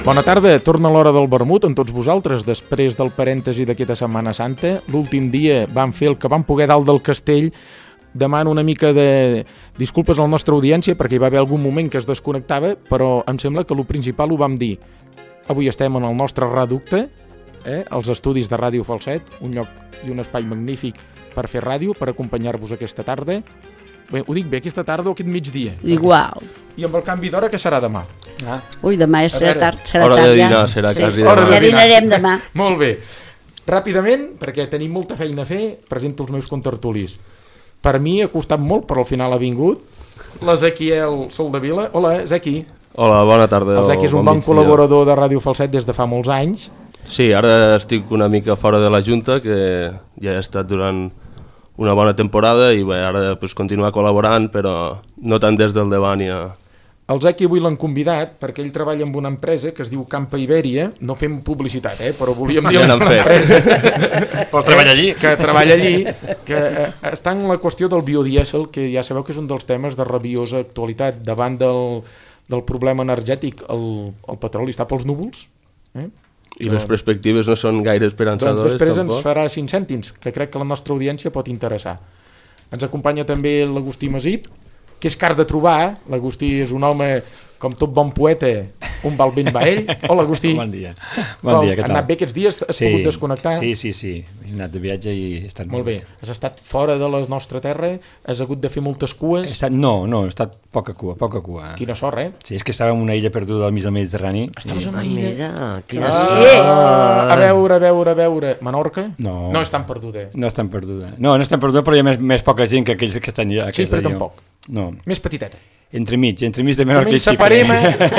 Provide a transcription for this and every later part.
Bona tarda, torna l'hora del vermut amb tots vosaltres, després del parèntesi d'aquesta Setmana Santa. L'últim dia vam fer el que vam poder dalt del castell. Demano una mica de disculpes a la nostra audiència perquè hi va haver algun moment que es desconnectava, però em sembla que el principal ho vam dir. Avui estem en el nostre reducte, els estudis de Ràdio Falset, un lloc i un espai magnífic per fer ràdio, per acompanyar-vos aquesta tarda. Bé, ho dic bé, aquesta tarda o aquest migdia? Igual. I amb el canvi d'hora, què serà demà? Ui, demà serà tard, hora de dinar, serà quasi demà. Ja dinarem demà. Molt bé. Ràpidament, perquè tenim molta feina a fer, presento els meus contertulis. Per mi ha costat molt, però al final ha vingut l'Ezequiel Soldevila. Hola, Ezequi. Hola, bona tarda. El Ezequi és un bon col·laborador de Ràdio Falset des de fa molts anys. Sí, ara estic una mica fora de la Junta, que ja he estat durant una bona temporada i bé, ara pues, continuar col·laborant, però no tant des del davant ja. El Ezequi avui l'han convidat perquè ell treballa en una empresa que es diu Campa Ibèria. No fem publicitat, però volíem dir ja l'empresa Però treballa allí. Que treballa allí, que està en la qüestió del biodièsel, que ja sabeu que és un dels temes de rabiosa actualitat. Davant del problema energètic, el petroli està pels núvols. I les perspectives no són gaire esperançadores, doncs després tampoc. ens farà 5 cèntims, que crec que la nostra audiència pot interessar. Ens acompanya també l'Agustí Masip, que és car de trobar. L'Agustí és un home, com tot bon poeta, un val ben va ell. Hola, Agustí. Bon dia. Bon dia, què tal? Ha anat bé aquests dies? Has pogut desconnectar? Sí. He anat de viatge i he estat molt bé. Has estat fora de la nostra terra? Has hagut de fer moltes cues? No, he estat poca cua. Quina sort, Sí, és que estava en una illa perduda al mig del Mediterrani. Estaves en una illa? Mira, quina sort! A veure. Menorca? No. No és tan perduda. No és tan perduda. No és tan perduda, però hi ha més poca gent que aquells que estan allà. Sí, però tampoc. No. Més petiteta. Entremig de Menorca i Xipre.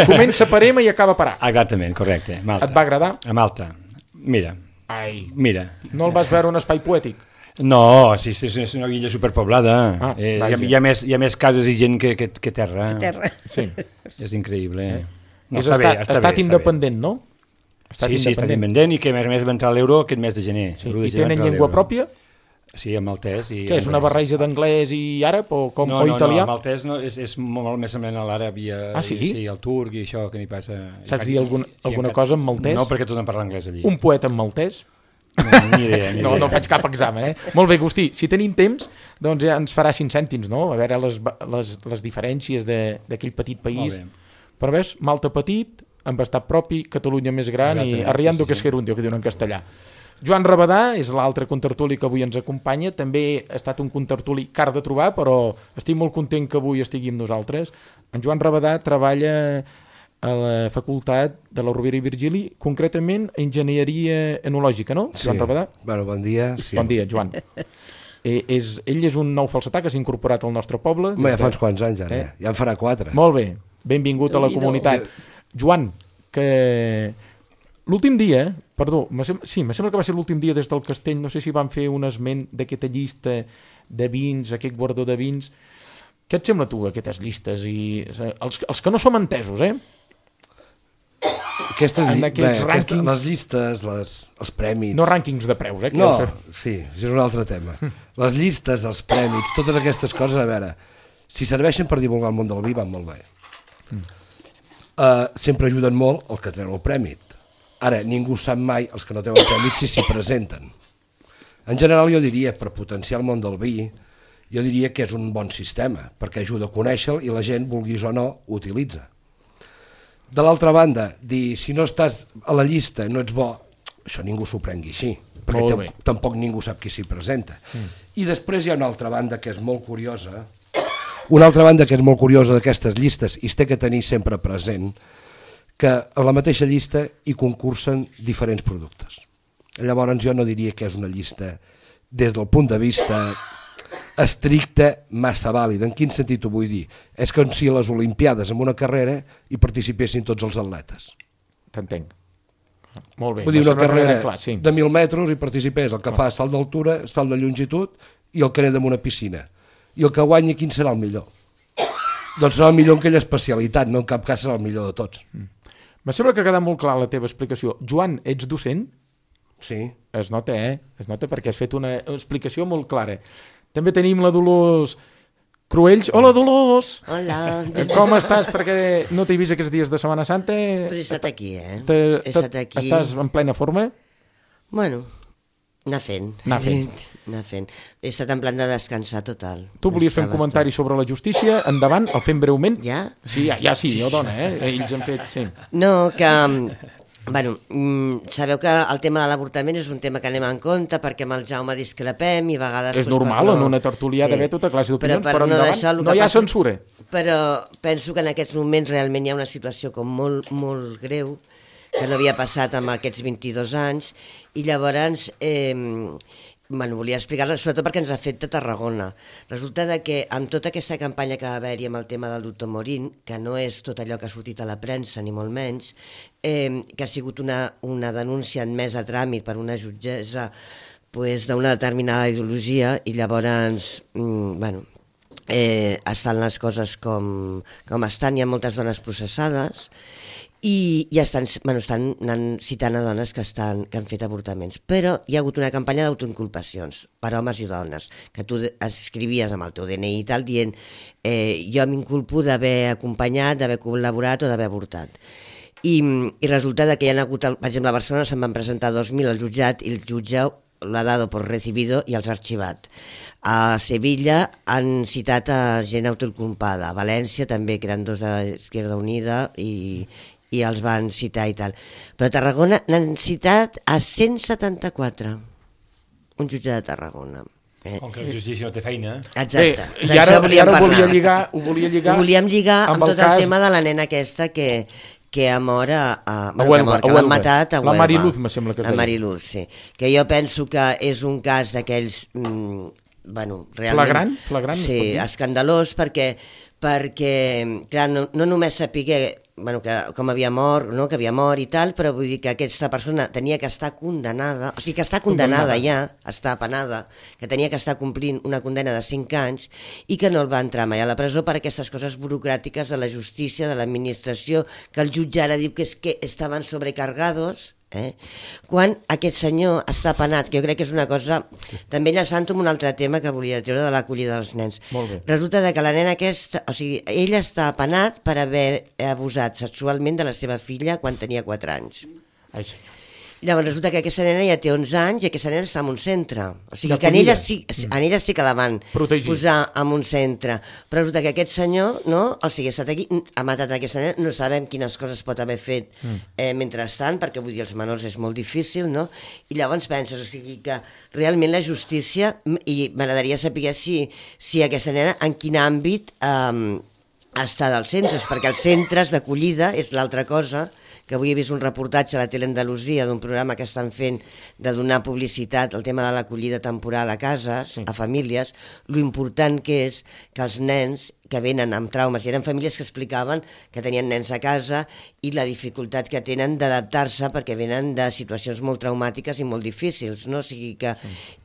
Comença a Parema i acaba a Parà. Exactament, correcte. Malta. Et va agradar? A Malta. Mira. No el vas veure un espai poètic? No, sí, és una illa superpoblada. Hi ha més cases i gent que terra. Sí. És increïble. No, és estat independent, no? Sí, estat independent i que a més va entrar l'euro aquest mes de gener. Sí. I tenen llengua pròpia? Sí, en maltès. Què, és una barreja d'anglès i àrab o italià? No, el maltès és molt més semblant a l'àrab i al turc i això que n'hi passa. Saps dir alguna cosa en maltès? No, perquè tothom parla anglès allí. Un poeta en maltès? Ni idea. No faig cap examen, Molt bé, Agustí, si tenim temps, doncs ja ens farà 5 cèntims, no? A veure les diferències d'aquell petit país. Però ves, Malta petit, amb estat propi, Catalunya més gran i arriando que es gerundio, que diuen en castellà. Joan Rabadà és l'altre contertuli que avui ens acompanya. També ha estat un contertuli car de trobar, però estic molt content que avui estigui amb nosaltres. En Joan Rabadà treballa a la Facultat de la Rovira i Virgili, concretament a Enginyeria Enològica, no? Sí. Joan Rabadà? Bueno, bon dia. Sí. Bon dia, Joan. Ell és un nou falsetà que s'ha incorporat al nostre poble. Ja fa uns quants anys, ara. Ja en farà 4. Molt bé, benvingut a la comunitat. Joan, que l'últim dia, me sembla que va ser l'últim dia des del castell, no sé si van fer un esment d'aquesta llista de vins, aquest guardó de vins. Què et sembla tu, aquestes llistes? Els que no som entesos, rànquings... Les llistes, els prèmits... No rànquings de preus, No, sí, és un altre tema. Les llistes, els prèmits, totes aquestes coses, a veure, si serveixen per divulgar el món del vi, van molt bé. Sempre ajuden molt el que treu el prèmit. Ara, ningú sap mai, els que no treuen prèmit, si s'hi presenten. En general, jo diria, per potenciar el món del vi, jo diria que és un bon sistema, perquè ajuda a conèixer-lo i la gent, vulguis o no, ho utilitza. De l'altra banda, dir, si no estàs a la llista, no ets bo, això ningú s'ho prengui així, perquè tampoc ningú sap qui s'hi presenta. I després hi ha una altra banda que és molt curiosa, d'aquestes llistes, i es té que tenir sempre present, que a la mateixa llista hi concursen diferents productes. Llavors jo no diria que és una llista des del punt de vista estricte massa vàlida. En quin sentit ho vull dir? És com si a les Olimpiades en una carrera hi participessin tots els atletes. T'entenc. Molt bé. Vull dir, una carrera de 1.000 metres hi participés el que fa salt d'altura, salt de longitud i el que neda en una piscina. I el que guanyi, quin serà el millor? Doncs serà el millor en aquella especialitat, no en cap cas serà el millor de tots. Me sembla que ha quedat molt clar la teva explicació. Joan, ets docent? Sí. Es nota, Es nota perquè has fet una explicació molt clara. També tenim la Dolors Cruells. Hola, Dolors! Hola. Com estàs? Perquè no t'he vist aquests dies de Setmana Santa. Pues he estat aquí, He estat aquí. Estàs en plena forma? Bueno, anar fent. He estat en plan de descansar total. Tu volies fer un comentari sobre la justícia. Endavant, el fem breument. Ja? Sí, ja sí, jo dona, Ells han fet... Sí. No, que... Bueno, sabeu que el tema de l'avortament és un tema que anem en compte perquè amb el Jaume discrepem i a vegades... És normal, en una tertúlia d'haver tota classe d'opinions, però endavant no hi ha censura. Però penso que en aquests moments realment hi ha una situació com molt, molt greu que no havia passat amb aquests 22 anys i llavors... volia explicar-la, sobretot perquè ens ha fet a Tarragona. Resulta que amb tota aquesta campanya que va haver-hi amb el tema del doctor Morín, que no és tot allò que ha sortit a la premsa, ni molt menys, que ha sigut una denúncia admesa a tràmit per una jutgessa d'una determinada ideologia i llavors, estan les coses com estan, hi ha moltes dones processades i estan anant citant a dones que han fet avortaments, però hi ha hagut una campanya d'autoinculpacions per homes i dones, que tu escrivies amb el teu DNI i tal dient jo m'inculpo d'haver acompanyat, d'haver col·laborat o d'haver avortat. I resulta que hi ha hagut, per exemple, a Barcelona se'n van presentar 2.000 al jutjat i el jutge l'ha dado por recibido i els ha arxivat. A Sevilla han citat a gent autoinculpada, a València també, que eren dos d'Izquierda Unida i els van citar i tal. Però a Tarragona n'han citat a 174, un jutge de Tarragona. Com que la justícia no té feina. Exacte. I ara ho volíem lligar. Ho volíem lligar amb tot el tema de la nena aquesta que ha mort, que l'han matat a Huelva. La Mariluz, me sembla que es deia. La Mariluz, sí. Que jo penso que és un cas d'aquells... realment... Flagrant? Sí, escandalós, perquè clar, no només sapiguer que com havia mort, no? Que havia mort i tal, però vull dir que aquesta persona tenia que estar condenada, o sigui que està condemnada ja, està penada, que tenia que estar complint una condena de 5 anys i que no el va entrar mai a la presó per aquestes coses burocràtiques de la justícia, de l'administració, que el jutge ara diu que és que estaven sobrecargados, quan aquest senyor està penat, que jo crec que és una cosa també enllaçant amb un altre tema que volia treure de l'acollida dels nens. Resulta que la nena aquesta, o sigui, ell està penat per haver abusat sexualment de la seva filla quan tenia 4 anys. Ai, senyor. Llavors resulta que aquesta nena ja té 11 anys i aquesta nena està en un centre. O sigui que en ella sí que la van posar en un centre. Però resulta que aquest senyor, no? O sigui, ha estat aquí, ha matat aquesta nena, no sabem quines coses pot haver fet mentrestant, perquè vull dir, els menors és molt difícil, no? I llavors penses, o sigui que realment la justícia, i m'agradaria saber si aquesta nena en quin àmbit està dels centres, perquè els centres d'acollida és l'altra cosa, que avui he vist un reportatge a la Tele Andalusia d'un programa que estan fent de donar publicitat al tema de l'acollida temporal a cases, a famílies, lo important que és que els nens que venen amb traumes, i eren famílies que explicaven que tenien nens a casa i la dificultat que tenen d'adaptar-se perquè venen de situacions molt traumàtiques i molt difícils, no? O sigui que,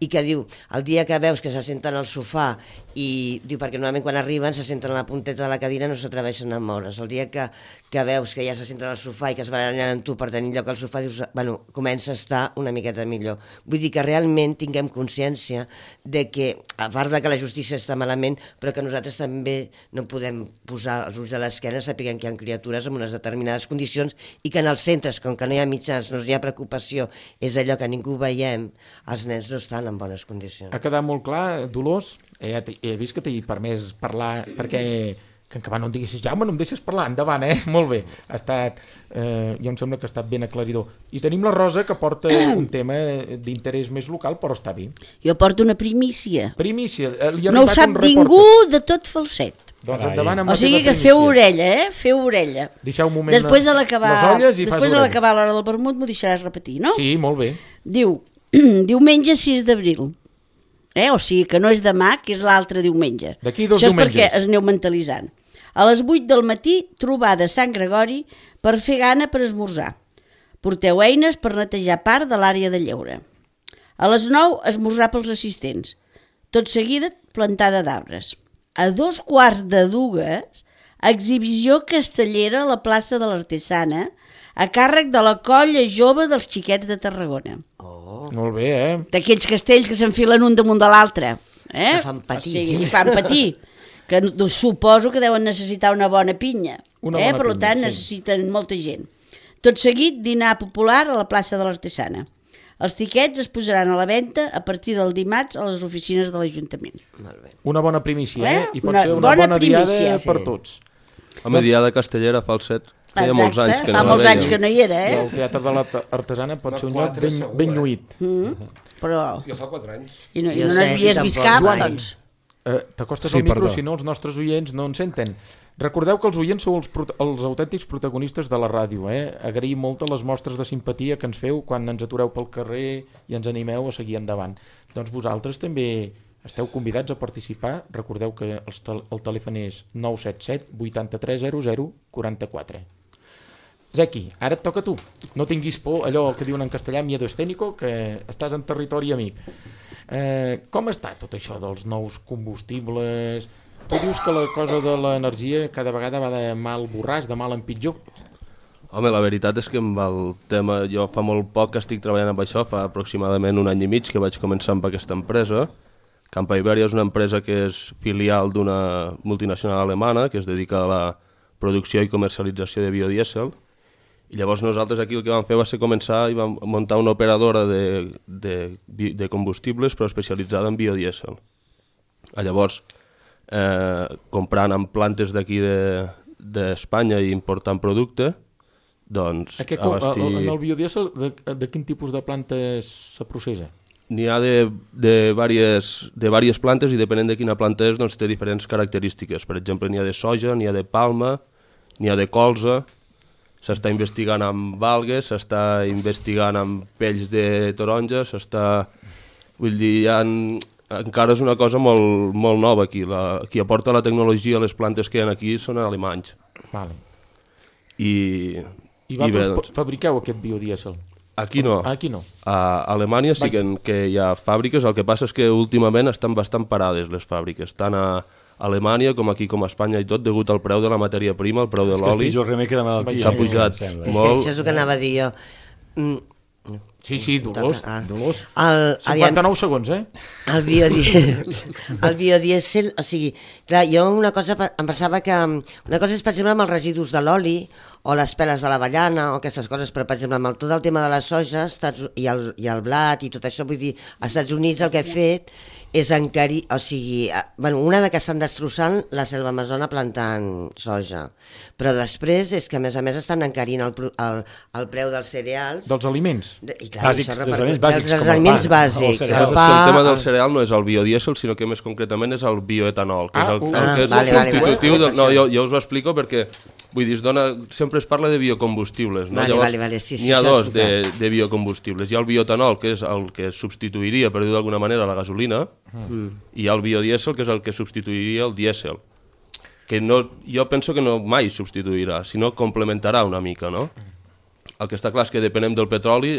i que diu, el dia que veus que se senten al sofà i diu, perquè normalment quan arriben se senten a la punteta de la cadira, no s'atreveixen a moure's, el dia que veus que ja se senten al sofà i que es barallen amb tu per tenir lloc al sofà, dius, bueno, comença a estar una miqueta millor. Vull dir que realment tinguem consciència de que, a part de que la justícia està malament, però que nosaltres també no podem posar els ulls a l'esquena sapiguem que hi ha criatures amb unes determinades condicions i que en els centres, com que no hi ha mitjans, no hi ha preocupació, és allò que ningú veiem, els nens no estan en bones condicions. Ha quedat molt clar, Dolors, he vist que t'he permès parlar perquè que no em diguessis, Jaume, no em deixes parlar, endavant, molt bé, ha estat, jo em sembla que ha estat ben aclaridor. I tenim la Rosa, que porta un tema d'interès més local, però està bé. Jo porto una primícia. Primícia. No ho sap ningú de tot Falset. Doncs endavant amb la teva primícia. O sigui que feu orella, feu orella. Deixeu un moment després a l'acabar les olles i fas orella. Després a l'acabar l'hora del vermut m'ho deixaràs repetir, no? Sí, molt bé. Diu, diumenge 6 d'abril. O sigui que no és demà, que és l'altre diumenge. D'aquí 2 diumenges. Això és perquè es aneu mentalitzant. A les 8 del matí, trobada a Sant Gregori per fer gana per esmorzar. Porteu eines per netejar part de l'àrea de lleure. A les 9, esmorzar pels assistents. Tot seguida, plantada d'arbres. A 2:15, exhibició castellera a la plaça de l'Artesana, a càrrec de la colla jove dels xiquets de Tarragona. Oh. Molt bé, D'aquells castells que s'enfilen un damunt de l'altre. Que fan patir. O sigui, fan patir. Que que suposo que deuen necessitar una bona pinya. Per tant, necessiten molta gent. Tot seguit, dinar popular a la plaça de l'Artesana. Els tiquets es posaran a la venda a partir del dimarts a les oficines de l'Ajuntament. Una bona primícia, I pot ser una bona diada per tots. Home, diada castellera, falset. Feia molts anys que no molts anys que no hi era, El Teatre de l'Artesana pot ser un lloc ben lluït. Però... Jo fa 4 anys. I no n'havies vist cap, doncs. T'acostes al micro, si no els nostres oients no en senten. Recordeu que els oients sou els autèntics protagonistes de la ràdio. Agraïm molt les mostres de simpatia que ens feu quan ens atureu pel carrer i ens animeu a seguir endavant. Doncs vosaltres també esteu convidats a participar. Recordeu que el telèfon és 977 83 00 44. Zequi, ara et toca a tu. No tinguis por, allò que diuen en castellà, miedo escénico, que estàs en territori amic. Com està tot això dels nous combustibles? Tu dius que la cosa de l'energia cada vegada va de mal borràs, de mal en pitjor. Home, la veritat és que amb el tema, jo fa molt poc que estic treballant amb això, fa aproximadament 1 any i mig que vaig començar amb aquesta empresa. Campa Iberia és una empresa que és filial d'una multinacional alemana que es dedica a la producció i comercialització de biodièsel. I llavors nosaltres aquí el que vam fer va ser començar i vam muntar una operadora de combustibles però especialitzada en biodièsel. Llavors, comprant en plantes d'aquí d'Espanya i important producte, doncs abastir... En el biodièsel, de quin tipus de plantes se processa? N'hi ha de diverses plantes i depenent de quina planta és, doncs té diferents característiques. Per exemple, n'hi ha de soja, n'hi ha de palma, n'hi ha de colza. S'està investigant amb algues, s'està investigant amb pells de taronja, Vull dir, encara és una cosa molt, molt nova aquí. Qui aporta la tecnologia a les plantes que hi ha aquí són alemanys. Vale. I vosaltres fabriqueu aquest biodièsel? Aquí no. Aquí no. A Alemanya sí que hi ha fàbriques, el que passa és que últimament estan bastant parades les fàbriques, tant a Alemanya com aquí com a Espanya i tot, degut al preu de la matèria prima, el preu de l'oli. És que el remei que la malaltia. S'ha pujat molt. És que això és el que anava a dir jo. Sí, Dolors. 59 segons, El biodièsel, o sigui, clar, jo una cosa em pensava que... Una cosa és, per exemple, amb els residus de l'oli o les peles de l'avellana o aquestes coses, però, per exemple, amb tot el tema de la soja i el blat i tot això, vull dir, als Estats Units el que he fet és encarir, o sigui, una de que estan destrossant la selva amazona plantant soja, però després és que a més estan encarint el preu dels cereals. Dels aliments? I clar, bàsics, dels aliments bàsics. El tema del cereal no és el biodièsel, sinó que més concretament és el bioetanol, que és el que és el substitutiu. No, jo us ho explico perquè vull dir, sempre es parla de biocombustibles, no? N'hi ha dos de biocombustibles. Hi ha el bioetanol, que és el que substituiria, per dir-ho d'alguna manera, la gasolina, i hi ha el biodièsel, que és el que substituiria el dièsel. Que jo penso que no mai substituirà, sinó complementarà una mica, no? El que està clar és que depenem del petroli.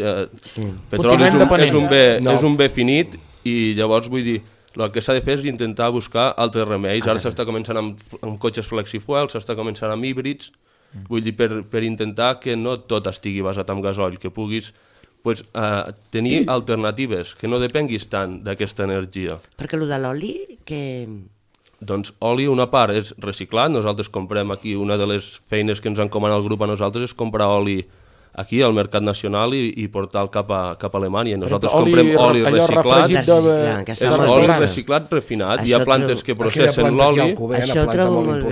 Petroli és un bé finit i llavors vull dir, el que s'ha de fer és intentar buscar altres remeis. Ara s'està començant amb cotxes flexifuel, s'està començant amb híbrids, vull dir, per intentar que no tot estigui basat en gasoil, que puguis tenir alternatives, que no depenguis tant d'aquesta energia. Perquè el de l'oli, que... Doncs oli, una part és reciclat, nosaltres comprem aquí, una de les feines que ens encomana el grup a nosaltres és comprar oli aquí al mercat nacional i portar-lo cap a Alemanya. Nosaltres comprem oli reciclat, és oli reciclat refinat. Hi ha plantes que processen l'oli. Això ho trobo molt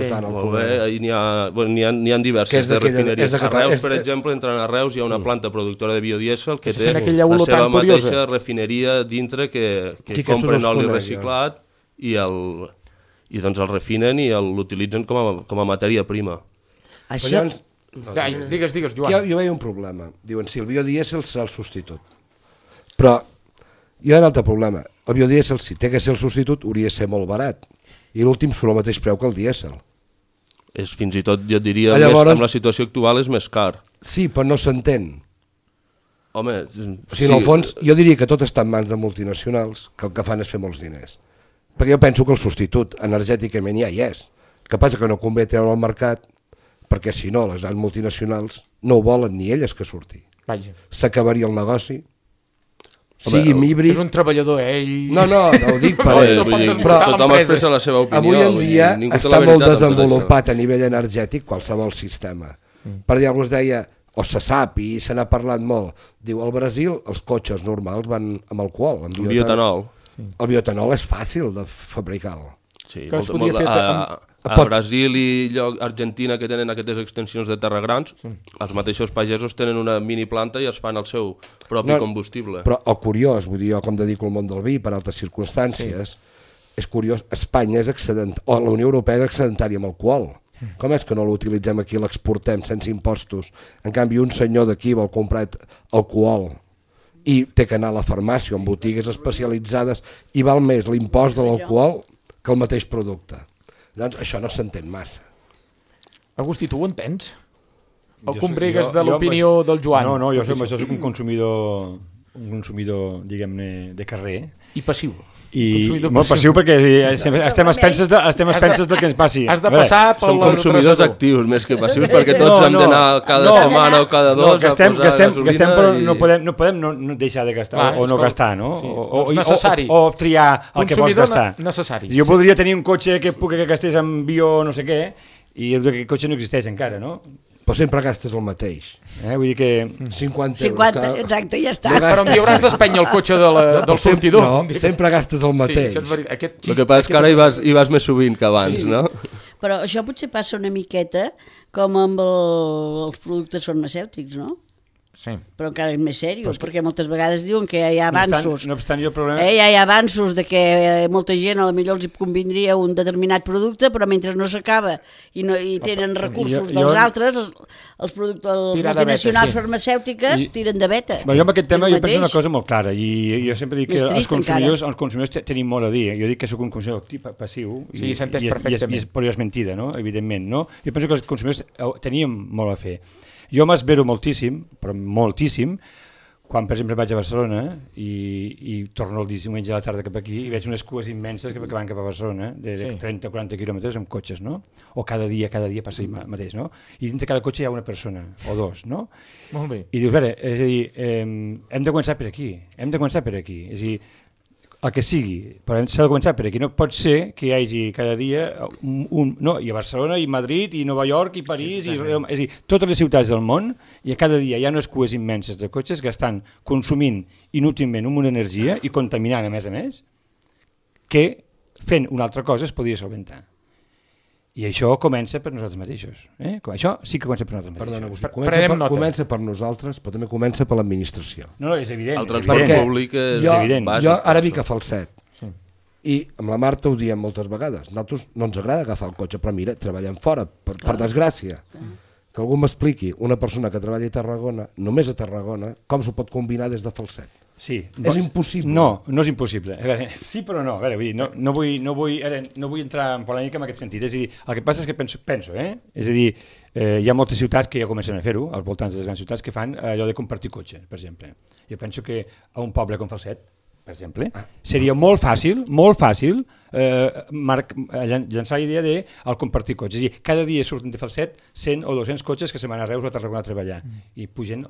bé. N'hi ha diverses de refineries. A Reus, per exemple, entrant a Reus, hi ha una planta productora de biodièsel que té la seva mateixa refineria dintre que compren oli reciclat i doncs el refinen i l'utilitzen com a matèria prima. Això... Digues, Joan. Jo veia un problema. Diuen, si el biodièsel serà el substitut. Però hi ha un altre problema. El biodièsel, si té que ser el substitut, hauria de ser molt barat. I l'últim surt al mateix preu que el dièsel. És fins i tot, jo diria, amb la situació actual és més car. Sí, però no s'entén. Home... O sigui, en el fons, jo diria que tot està en mans de multinacionals, que el que fan és fer molts diners. Perquè jo penso que el substitut energèticament ja hi és. El que passa que no convé treure al mercat, perquè si no, les grans multinacionals no ho volen ni elles que surti. Vaja. S'acabaria el negoci. sigui híbrid... És un treballador, ell... No ho dic per ell. Però tothom expressa la seva opinió. Avui en dia està molt desenvolupat a nivell energètic qualsevol sistema. Per dir, algú es deia, o se sap i se n'ha parlat molt, diu, al Brasil els cotxes normals van amb alcohol, amb bioetanol. El bioetanol és fàcil de fabricar-lo. Sí, a Brasil i Argentina, que tenen aquestes extensions de terra grans, els mateixos pagesos tenen una mini planta i es fan el seu propi combustible. Però el curiós, vull dir, jo com dedico al món del vi per altres circumstàncies, és curiós, Espanya és o la Unió Europea és excedentària amb alcohol. Com és que no l'utilitzem aquí i l'exportem sense impostos? En canvi, un senyor d'aquí vol comprar alcohol i té que anar a la farmàcia o en botigues especialitzades i val més l'impost de l'alcohol que el mateix producte. Doncs això no s'entén massa. Agustí, tu ho entens? O combregues de l'opinió del Joan? No, jo soc un consumidor, diguem-ne, de carrer. I passiu. I molt passiu perquè estem a expenses del que ens passi. Has de passar per som consumidors actius més que passius perquè tots hem d'anar cada setmana o cada dos a posar gasolina però no podem no deixar de gastar o no gastar, no? O triar el que vols gastar. Jo voldria tenir un cotxe que gastés amb bio no sé què i aquest cotxe no existeix encara, no? Però sempre gastes el mateix. Vull dir que... 50 euros. Exacte, ja està. Però em hauràs d'espènyer el cotxe del sortidor. No, sempre gastes el mateix. El que passa és que ara hi vas més sovint que abans, no? Però això potser passa una miqueta com amb els productes farmacèutics, no? Sí. Però encara és més seriós, perquè moltes vegades diuen que hi ha avanços. No obstant, jo el problema... Hi ha avanços de que molta gent potser els convindria un determinat producte, però mentre no s'acaba i tenen recursos dels altres, els multinacionals farmacèutiques tiren de veta. Jo amb aquest tema jo penso una cosa molt clara, i jo sempre dic que els consumidors tenim molt a dir. Jo dic que soc un consumidor passiu, sí, s'entès perfectament. Però és mentida, no? Evidentment, no? Jo penso que els consumidors teníem molt a fer. Jo m'esvero moltíssim, però moltíssim, quan per exemple vaig a Barcelona i torno el diumenge a la tarda cap aquí i veig unes cues immenses que van cap a Barcelona de 30 o 40 quilòmetres amb cotxes, no? O cada dia passa el mateix, no? I dintre cada cotxe hi ha una persona o dos, no? Molt bé. I dius, a veure, és a dir, hem de començar per aquí, és a dir, el que sigui, però s'ha de començar per aquí. No pot ser que hi hagi cada dia i a Barcelona, i Madrid, i Nova York, i París, és a dir, totes les ciutats del món, i cada dia hi ha unes cues immenses de cotxes que estan consumint inútilment una energia i contaminant a més, que fent una altra cosa es podria solventar. I això comença per nosaltres mateixos. Això sí que comença per nosaltres mateixos. Perdona, comença per nosaltres, però també comença per l'administració. No, és evident. El transport públic és evident. Jo ara vinc a Falset, i amb la Marta ho diem moltes vegades. Nosaltres no ens agrada agafar el cotxe, però mira, treballem fora, per desgràcia. Que algú m'expliqui, una persona que treballa a Tarragona, només a Tarragona, com s'ho pot combinar des de Falset? Sí. És impossible. No és impossible. A veure, sí, però no. A veure, no vull entrar en polèmica en aquest sentit. És a dir, el que passa és que penso, és a dir, hi ha moltes ciutats que ja comencen a fer-ho, als voltants de les grans ciutats, que fan allò de compartir cotxe, per exemple. Jo penso que a un poble com Falset, per exemple, seria molt fàcil llançar la idea del compartir cotxes. És a dir, cada dia surten de Falset 100 o 200 cotxes que se van a Reus o a Tarragona a treballar i pugen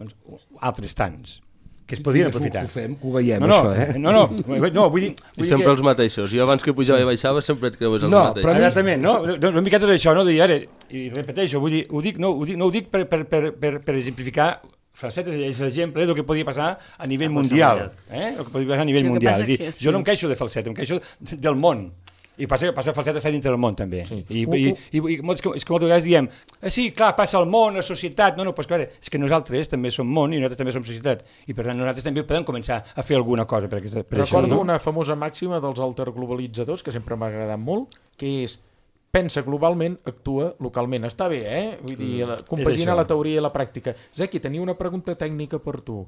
altres tants que es podrien aprofitar. Ho veiem, això, No, vull dir... I sempre els mateixos. Jo abans que pujava i baixava sempre et creues els mateixos. Exactament, no? Una miqueta d'això, no? I repeteixo, vull dir, no ho dic per exemplificar. Falset és l'exemple del que podia passar a nivell mundial. El que podia passar a nivell mundial. Jo no em queixo de Falset, em queixo del món. I passa Falset està dintre del món també. I és que moltes vegades diem sí, clar, passa al món, a la societat. No, però és que nosaltres també som món i nosaltres també som societat. I per tant nosaltres també podem començar a fer alguna cosa per això. Recordo una famosa màxima dels alterglobalitzadors que sempre m'ha agradat molt, que és pensa globalment, actua localment. Està bé, Vull dir, compagina la teoria i la pràctica. Zeki, tenia una pregunta tècnica per tu.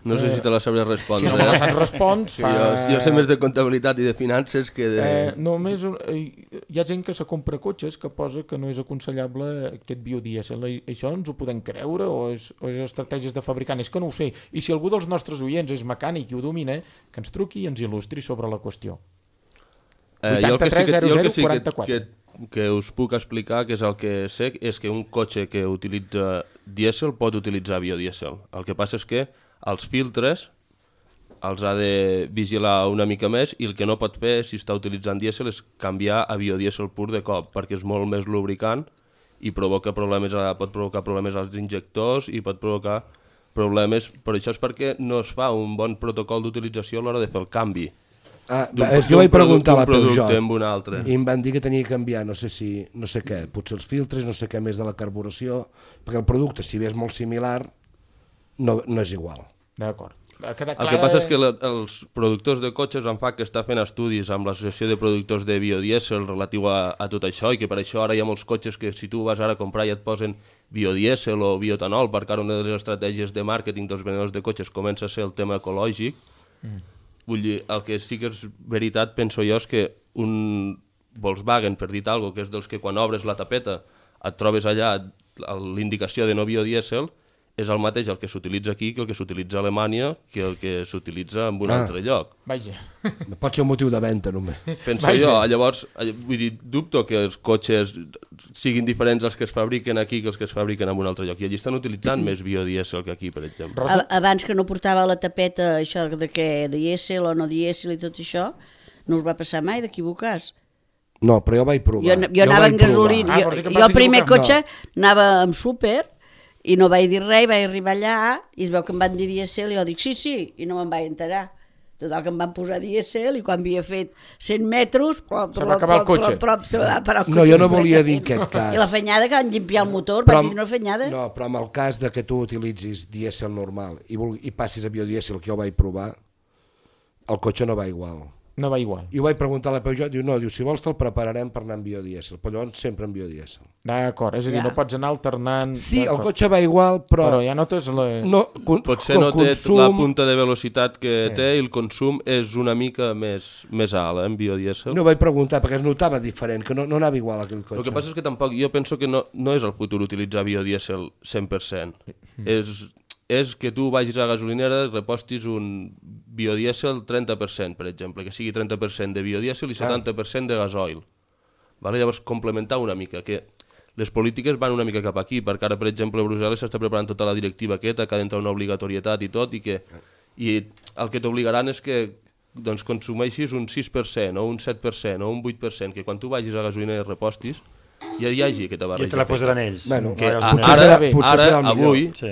No sé si te la sabré respondre. Si no me la saps respons... Jo sé més de comptabilitat i de finances que de... Només hi ha gent que se compra cotxes que posa que no és aconsellable aquest biodièsel. Això ens ho podem creure o és estratègies de fabricant? És que no ho sé. I si algú dels nostres oients és mecànic i ho domina, que ens truqui i ens il·lustri sobre la qüestió. 83 00 44. Que us puc explicar, que és el que sé, és que un cotxe que utilitza dièsel pot utilitzar biodièsel. El que passa és que els filtres els ha de vigilar una mica més, i el que no pot fer, si està utilitzant dièsel, és canviar a biodièsel pur de cop, perquè és molt més lubricant i pot provocar problemes als injectors i pot provocar problemes. Per això és perquè no es fa un bon protocol d'utilització a l'hora de fer el canvi. Jo vaig preguntar a la Peugeot amb un altre. I em van dir que tenia que canviar no sé què, potser els filtres, no sé què més de la carburació, perquè el producte, si bé és molt similar, no és igual. D'acord. El que passa és que els productors de cotxes, en FAC, que està fent estudis amb l'Associació de Productors de Biodièsel relatiu a tot això, i que per això ara hi ha molts cotxes que si tu vas ara a comprar i et posen biodièsel o bioetanol, perquè ara una de les estratègies de màrqueting dels venedors de cotxes comença a ser el tema ecològic. Vull dir, el que sí que és veritat, penso jo, és que un Volkswagen, per dir alguna cosa, que és dels que quan obres la tapeta et trobes allà l'indicació de no biodièsel, és el mateix el que s'utilitza aquí que el que s'utilitza a Alemanya que el que s'utilitza en un altre lloc. Vaja. Pot ser un motiu de venda, només. Penso jo, llavors, vull dir, dubto que els cotxes siguin diferents els que es fabriquen aquí que els que es fabriquen en un altre lloc. I allí estan utilitzant més biodièsel que aquí, per exemple. Abans que no portava la tapeta això de què dièsel o no dièsel i tot això, no us va passar mai d'equivocar-se? No, però jo vaig provar. Jo anava en gasolina. Jo el primer cotxe anava amb súper i no vaig dir res, vaig arribar allà i es veu que em van dir dièsel i jo dic sí, i no me'n vaig enterar. Total que em van posar dièsel i quan havia fet 100 metres se va acabar el cotxe. Se va parar el cotxe. No, jo no volia dir en aquest cas. I la fenyada que van llimpiar el motor, vaig dir una fenyada. No, però en el cas de que tu utilitzis dièsel normal i passis a biodièsel, que jo vaig provar, el cotxe no va igual. No va igual. I ho vaig preguntar a la Peugeot, diu, no, si vols te'l prepararem per anar en biodièsel, però llavors sempre en biodièsel. D'acord, és a dir, no pots anar alternant... Sí, el cotxe va igual, però ja notes la... Potser no té la punta de velocitat que té i el consum és una mica més alt, en biodièsel. No vaig preguntar, perquè es notava diferent, que no anava igual aquell cotxe. El que passa és que tampoc, jo penso que no és el futur utilitzar biodièsel 100%. És que tu vagis a la gasolinera i repostis un biodièsel 30%, per exemple, que sigui 30% de biodièsel i 70% de gasoil. Llavors, complementar una mica, que les polítiques van una mica cap aquí, perquè ara, per exemple, a Brussel·les s'està preparant tota la directiva aquesta, que ha d'entrar una obligatorietat i tot, i el que t'obligaran és que consumeixis un 6% o un 7% o un 8%, que quan tu vagis a la gasolinera i repostis, ja hi hagi aquesta barreja. I te la posaran ells. Bueno, ara,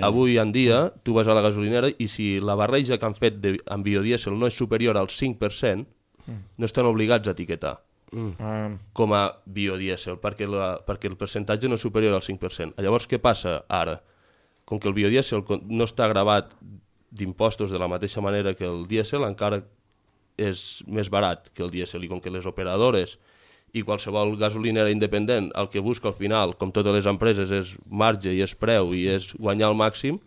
avui en dia, tu vas a la gasolinera i si la barreja que han fet amb biodièsel no és superior al 5%, no estan obligats a etiquetar com a biodièsel, perquè el percentatge no és superior al 5%. Llavors, què passa ara? Com que el biodièsel no està gravat d'impostos de la mateixa manera que el dièsel, encara és més barat que el dièsel, i com que les operadores i qualsevol gasolinera independent el que busca al final, com totes les empreses, és marge i és preu i és guanyar el màxim,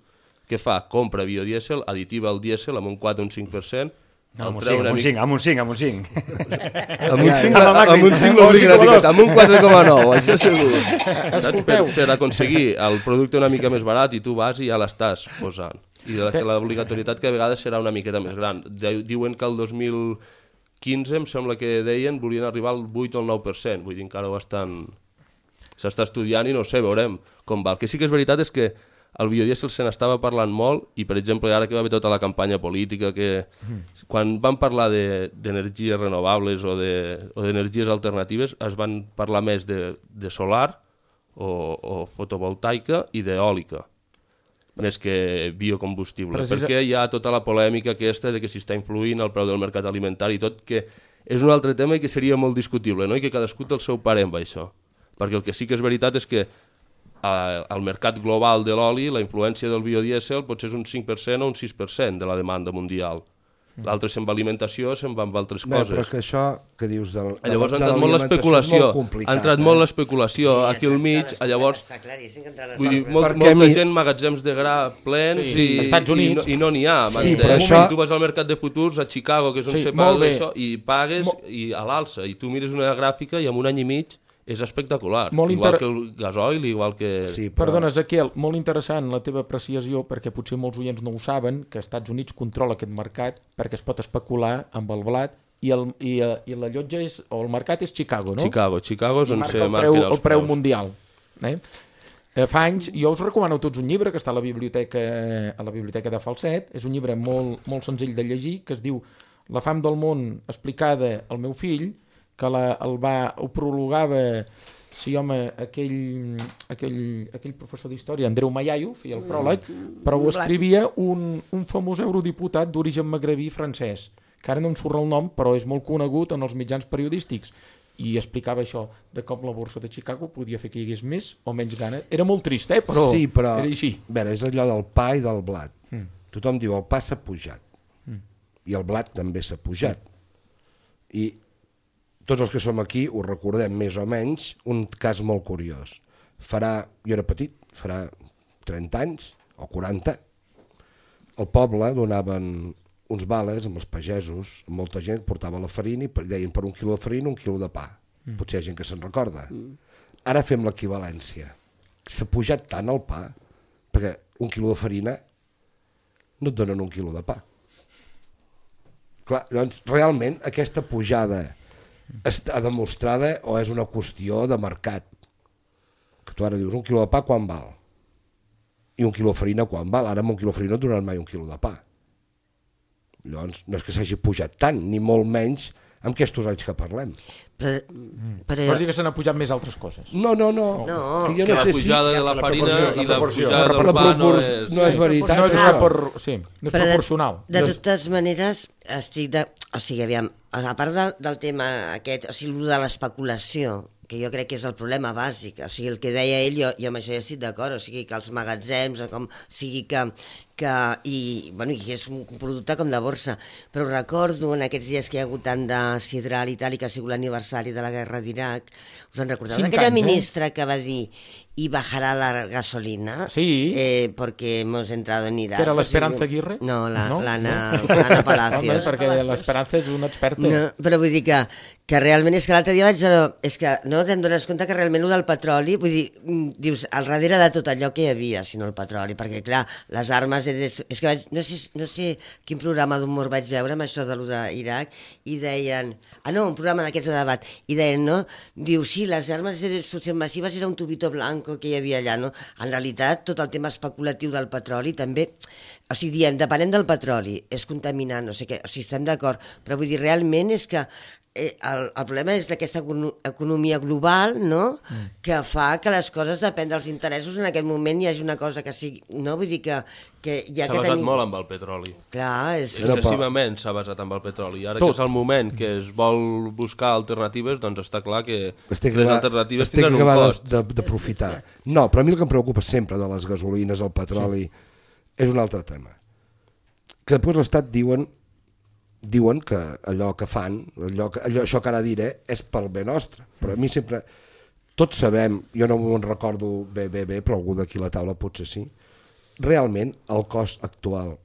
què fa? Compra biodièsel, additiva el dièsel amb un 4 o un 5%, amb un 5. Amb un 4,9, això segur. Per aconseguir el producte una mica més barat i tu vas i ja l'estàs posant. I l'obligatorietat que a vegades serà una miqueta més gran. Diuen que el 2015, em sembla que deien, volien arribar al 8 o el 9%, vull dir, encara s'està estudiant i no sé, veurem com va. El que sí que és veritat és que el biodièsel se n'estava parlant molt i, per exemple, ara que va haver tota la campanya política, que quan van parlar d'energies renovables o d'energies alternatives es van parlar més de solar o fotovoltaica i d'eòlica, més que biocombustible, perquè hi ha tota la polèmica aquesta de que si està influint el preu del mercat alimentari i tot, que és un altre tema i que seria molt discutible, no? I que cadascú té el seu parer amb això, perquè el que sí que és veritat és que al mercat global de l'oli la influència del biodièsel potser és un 5% o un 6% de la demanda mundial. L'altre se'n va a alimentació, se'n va amb altres coses. Però que això que dius de llavors ha entrat molt l'especulació. Ha entrat molt l'especulació aquí al mig, llavors vull dir, molta gent, magatzems de gra plens i no n'hi ha. Tu vas al mercat de futurs a Chicago, que és on se paga això, i pagues a l'alça, i tu mires una gràfica i en un any i mig és espectacular, igual que el gasoil, igual que... Sí, perdona, Ezequiel, molt interessant la teva apreciació, perquè potser molts oients no ho saben, que els Estats Units controla aquest mercat perquè es pot especular amb el blat i la llotja o el mercat és Chicago, no? Chicago és on se marca el preu mundial. Fa anys, jo us recomano tots un llibre que està a la biblioteca de Falset, és un llibre molt, molt senzill de llegir, que es diu La fam del món explicada al meu fill, que ho prologava aquell professor d'història, Andreu Mayayo, feia el pròleg, però ho escrivia un famós eurodiputat d'origen magrebí francès, que ara no em surt el nom, però és molt conegut en els mitjans periodístics, i explicava això, de com la borsa de Chicago podia fer que hi hagués més o menys gana. Era molt trist, però sí, però era així. Veure, és allò del pa i del blat. Tothom diu, el pa s'ha pujat, i el blat també s'ha pujat. I tots els que som aquí ho recordem més o menys, un cas molt curiós. Jo era petit, farà 30 anys o 40, al poble donaven uns vales amb els pagesos, molta gent portava la farina i deien per un quilo de farina un quilo de pa. Potser hi ha gent que se'n recorda. Ara fem l'equivalència. S'ha pujat tant el pa, perquè un quilo de farina no et donen un quilo de pa. Clar, doncs realment aquesta pujada està demostrada o és una qüestió de mercat? Que tu ara dius, un quilo de pa quan val? I un quilo de farina quan val? Ara amb un quilo de farina no et donaran mai un quilo de pa. Llavors, no és que s'hagi pujat tant, ni molt menys amb aquests anys que parlem. Vols dir que se n'ha pujat més altres coses? No. Que la pujada de la farina i la pujada del pa no és veritat. No és proporcional. De totes maneres, aviam, a part del tema aquest, o sigui, de l'especulació, que jo crec que és el problema bàsic, o sigui, el que deia ell, jo amb això ja estic d'acord, o sigui, que els magatzems, com sigui i és un producte com de borsa, però recordo en aquests dies que hi ha hagut tant de sidral i tal, i que ha sigut l'aniversari de la guerra d'Iraq, us en recordeu d'aquella ministra que va dir y bajará la gasolina porque hemos entrado en Irak. ¿Era l'Esperanza Aguirre? No, l'Anna Palacios. Perquè l'Esperanza és una experta. No, però vull dir que realment és que l'altre dia vaig... És que no te'n dones compte que realment el del petroli, vull dir, dius, al darrere de tot allò que hi havia, sinó el petroli, perquè clar, les armes... És que no sé quin programa d'humor vaig veure amb això de lo d'Iraq, i deien... un programa d'aquests de debat, i deien, no? Diu, sí, les armes de destrucció massiva era un tubito blanco que hi havia allà, no? En realitat, tot el tema especulatiu del petroli també... O sigui, diem, depenent del petroli, és contaminant, no sé què, o sigui, estem d'acord, però vull dir, realment és que el problema és aquesta economia global, no?, que fa que les coses depèn dels interessos, en aquest moment hi hagi una cosa que sigui... No? Vull dir que ja s'ha basat molt amb el petroli. Clar, excessivament s'ha basat amb el petroli. I ara que és el moment que es vol buscar alternatives, doncs està clar que les alternatives tindran un cost. D'aprofitar. No, però a mi el que em preocupa sempre de les gasolines, el petroli, és un altre tema. Que després l'Estat diuen que allò que fan, això que ara diré, és pel bé nostre. Però a mi sempre... Tots sabem, jo no me'n recordo bé, però algú d'aquí a la taula potser sí, realment el cost actual,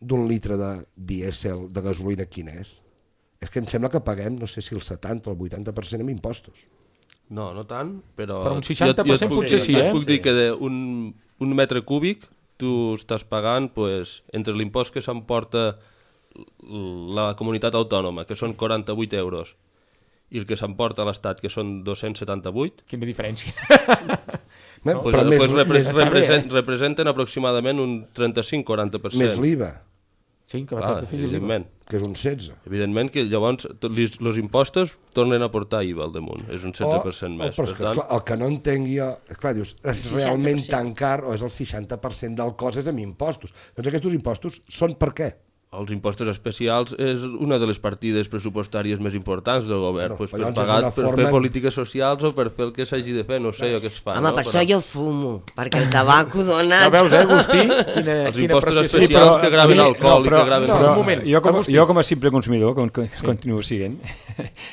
d'un litre de dièsel, de gasolina, quin és? És que em sembla que paguem, no sé si el 70 o el 80% en impostos. No tant, però... Però un 60% potser sí, et puc dir que d'un metre cúbic tu estàs pagant entre l'impost que s'emporta la comunitat autònoma, que són 48 euros, i el que s'emporta a l'Estat, que són 278... Quina diferència. Representen aproximadament un 35-40%. Més l'IVA. Sí, que va evidentment. Que és un 16. Evidentment que llavors els impostos tornen a portar IVA al damunt, és un 16% més. Però esclar, el que no entenc jo, esclar, dius, és realment tan car o és el 60% del cost és amb impostos. Doncs aquests impostos són per què? Els impostos especials és una de les partides pressupostàries més importants del govern, per pagar per fer polítiques socials o per fer el que s'hagi de fer, no sé què es fa. Home, per això jo fumo, perquè el tabaco dona... No veus, Agustí? Els impostos especials que graven alcohol i que graven... Un moment, jo com a simple consumidor, que continuo siguent,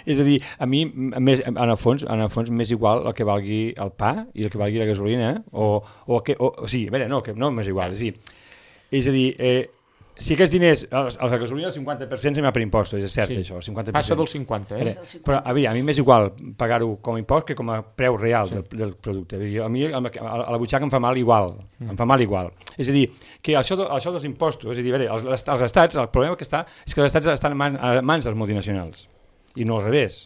és a dir, a mi, en el fons, m'és igual el que valgui el pa i el que valgui la gasolina, o sigui, a veure, no m'és igual, és a dir, si aquests diners, la gasolina el 50% se m'ha per impostos, és cert això, el 50%. Passa del 50, Però a mi m'és igual pagar-ho com a impost que com a preu real del producte. A mi a la butxaca em fa mal igual, És a dir, que això dels impostos, és a dir, els estats, el problema que està és que els estats estan a mans dels multinacionals, i no al revés.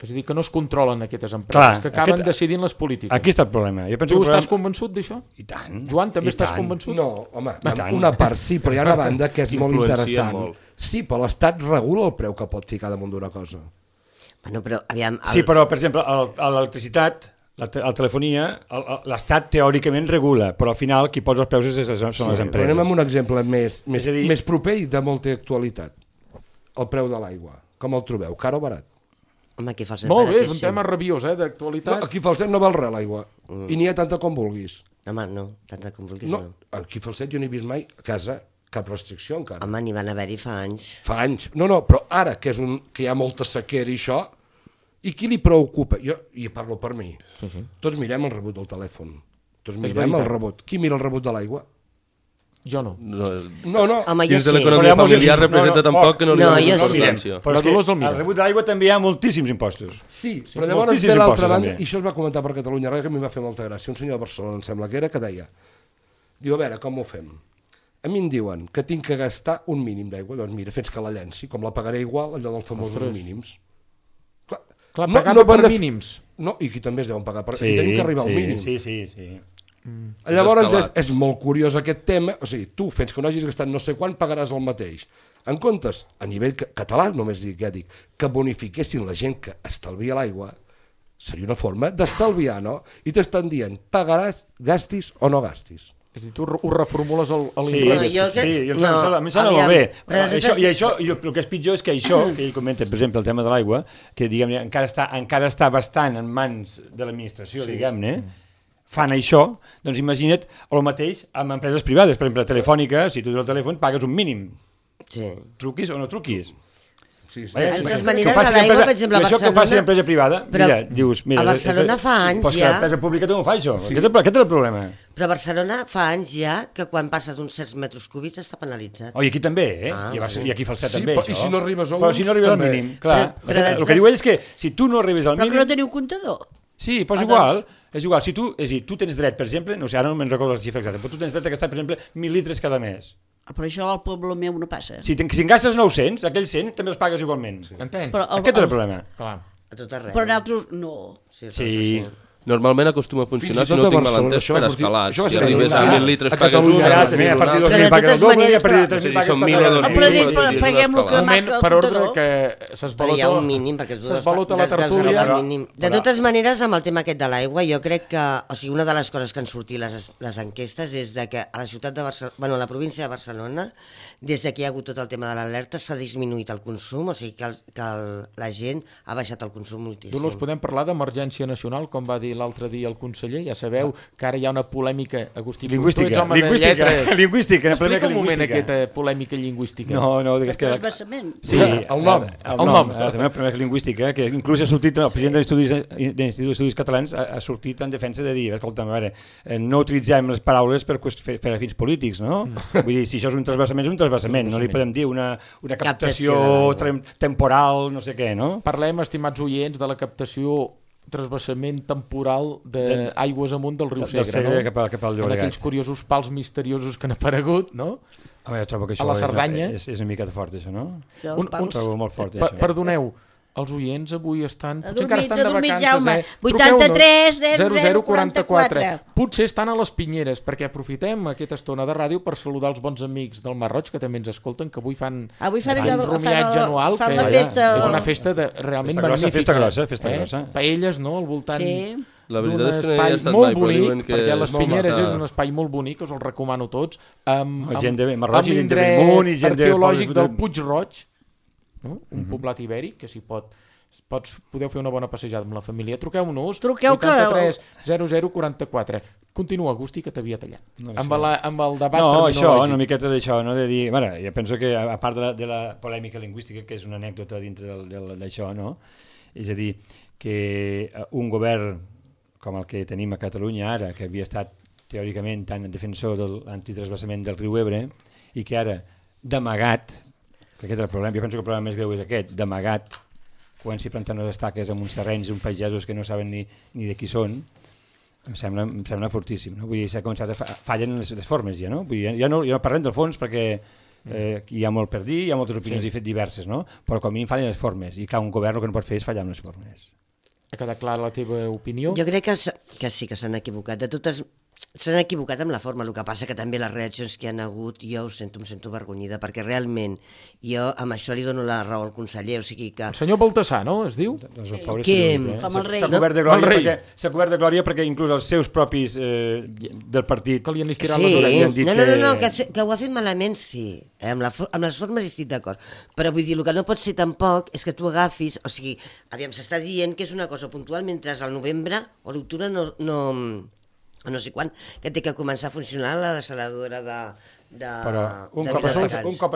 És a dir, que no es controlen aquestes empreses, que acaben decidint les polítiques. Aquí està el problema. Tu estàs convençut d'això? I tant. Joan, també estàs convençut? No, home, una part sí, però hi ha una banda que és molt interessant. Sí, però l'Estat regula el preu que pot ficar damunt d'una cosa. Bueno, però aviam... Sí, però, per exemple, l'electricitat, la telefonia, l'Estat teòricament regula, però al final qui posa els preus són les empreses. Però anem amb un exemple més proper i de molta actualitat. El preu de l'aigua. Com el trobeu? Car o barat? Home, aquí fa el molt bé, és un tema rabiós, d'actualitat. No, aquí Falset no val res l'aigua, i n'hi ha tanta com vulguis. Home, no, tanta com vulguis no. Aquí Falset jo no he vist mai a casa cap restricció encara. Home, n'hi van haver-hi fa anys. Fa anys. No, però ara que hi ha molta sequera i això, i qui li preocupa? Jo parlo per mi. Sí. Tots mirem el rebut del telèfon. Tots mirem el rebut. Qui mira el rebut de l'aigua? Jo no. No. Home, jo dins de l'economia familiar representa tampoc que no li doni importància. Però és que al rebut de l'aigua també hi ha moltíssims impostos. Sí, però llavors ve l'altra banda, i això es va comentar per Catalunya Ràdio, que a mi va fer molta gràcia. Un senyor de Barcelona, em sembla que era, que deia, diu, a veure, com ho fem? A mi em diuen que tinc que gastar un mínim d'aigua, doncs mira, fins que la llenci, com la pagaré igual, allò dels famosos mínims. Clar, pagant per mínims. No, i aquí també es deuen pagar, i tenim que arribar al mínim. Sí. Llavors és molt curiós aquest tema, o sigui, tu fins que no hagis gastat no sé quan pagaràs el mateix. En comptes, a nivell català només dic, que bonifiquessin la gent que estalvia l'aigua, seria una forma d'estalviar, no? I t'estan dient, pagaràs, gastis o no gastis. És a dir, tu ho reformules a l'inglès. A mi sembla molt bé. I això, el que és pitjor és que això, que ell comenta, per exemple, el tema de l'aigua, que diguem, encara està bastant en mans de l'administració, diguem-ne, fan això, doncs imagina't el mateix amb empreses privades. Per exemple, Telefònica, si tu tens el telèfon, pagues un mínim. Sí. Truquis o no truquis. De totes maneres, a l'aigua, per exemple, a Barcelona... Això que faci empresa privada, a Barcelona fa anys ja... Pues que l'empresa pública no ho fa, això. Aquest és el problema. Però a Barcelona fa anys ja que quan passes uns certs metres cúbics està penalitzat. I aquí també, I aquí Falset també, això. I si no arribes a però si no arribes al mínim, clar. El que diu ell és que si tu no arribes al mínim... Però que no teniu comptador. Sí, però és igual. Si tu tens dret, per exemple, no sé, ara no me'n recordo la xifra exacta, però tu tens dret a gastar, per exemple, 1.000 litres cada mes. Però això al poble meu no passa. Si en gastes 900, aquells 100 també els pagues igualment. Entens? Aquest és el problema. Clar. A tot arreu. Però nosaltres no. Sí. Normalment acostuma a funcionar, si no tinc mal entès, per escalats. Si arribes a 1.000 litres pagues un, a partir de 2.000 pagues el doble, i a partir de 3.000 pagues el doble. Paguem el que marca el per ordre que però hi ha un mínim, perquè tu la tertúlia. De totes maneres, amb el tema aquest de l'aigua, jo crec que, o sigui, una de les coses que han sortit les enquestes és que a la ciutat de Barcelona, bueno, a la província de Barcelona, des que hi ha hagut tot el tema de l'alerta, s'ha disminuït el consum, o sigui que la gent ha baixat el consum moltíssim. Dolors, podem parlar d'emergència nacional, com va dir l'altre dia el conseller? Ja sabeu que ara hi ha una polèmica, Agustí, tu ets home de lletres. Lingüística. Explica un moment aquesta polèmica lingüística. No, digues que... Transvasament. Sí, el nom. La polèmica lingüística, que inclús ha sortit, el president de l'Institut d'Estudis Catalans ha sortit en defensa de dir, escolta, a veure, no utilitzem les paraules per fer fins polítics, no? Vull dir, si això és un transvasament, és un transvasament, no li podem dir una captació temporal, no sé què, no? Parlem, estimats oients, de la captació transvasament temporal d'aigües amunt del riu Segre, cap al Llobregat. En aquells curiosos pals misteriosos que han aparegut, no? Jo trobo que això a la Cerdanya. És una mica fort, això, no? Ho trobo molt fort, això. Perdoneu, els oients avui estan... Potser encara estan de vacances, Jaume. 83 00 44. Potser estan a les Pinyeres, perquè aprofitem aquesta estona de ràdio per saludar els bons amics del Mar Roig, que també ens escolten, que avui fan un romiatge anual, que és una festa realment magnífica. Festa grossa. Paelles, no?, al voltant... La veritat és que no hi he estat mai, però diuen que... Perquè les Pinyeres és un espai molt bonic, us el recomano tots, amb l'indret arqueològic del Puig Roig, no? Un poblat ibèric que si podeu fer una bona passejada amb la família. Truqueu-nos, 83 00 44. Continua, Agustí, que t'havia tallat. Amb el debat terminològic. Això, una miqueta d'això, no? De dir, bueno, jo penso que a part de la polèmica lingüística, que és una anècdota dintre d'això, no? És a dir, que un govern com el que tenim a Catalunya ara, que havia estat teòricament tan defensor de l'antitransvasament del riu Ebre, i que ara, d'amagat, que aquest és el problema, jo penso que el problema més greu és aquest, d'amagat, comenci a plantar unes estaques en uns terrenys, uns pagesos que no saben ni de qui són, em sembla fortíssim, no? Vull dir, s'ha començat fallen les formes ja, no? Vull dir, ja no parlem del fons perquè hi ha molt per dir, hi ha moltes opinions diverses, no? Però com a mínim fallen les formes, i clar, un govern el que no pot fer és fallar amb les formes. Ha quedat clara la teva opinió? Jo crec que sí que s'han equivocat. De totes s'han equivocat amb la forma, el que passa que també les reaccions que hi ha hagut, jo em sento avergonyida, perquè realment jo amb això li dono la raó al conseller, o sigui que... El senyor Baltasar, no? Es diu? Doncs el pobre com el rei. S'ha cobert de glòria perquè inclús els seus propis del partit... Que li han estirat les orelles. No, que ho ha fet malament, sí. Amb les formes estic d'acord. Però vull dir, el que no pot ser tampoc és que tu agafis, o sigui, aviam, s'està dient que és una cosa puntual mentre al novembre o l'octubre no sé quan, que té que començar a funcionar la desaladora però un cop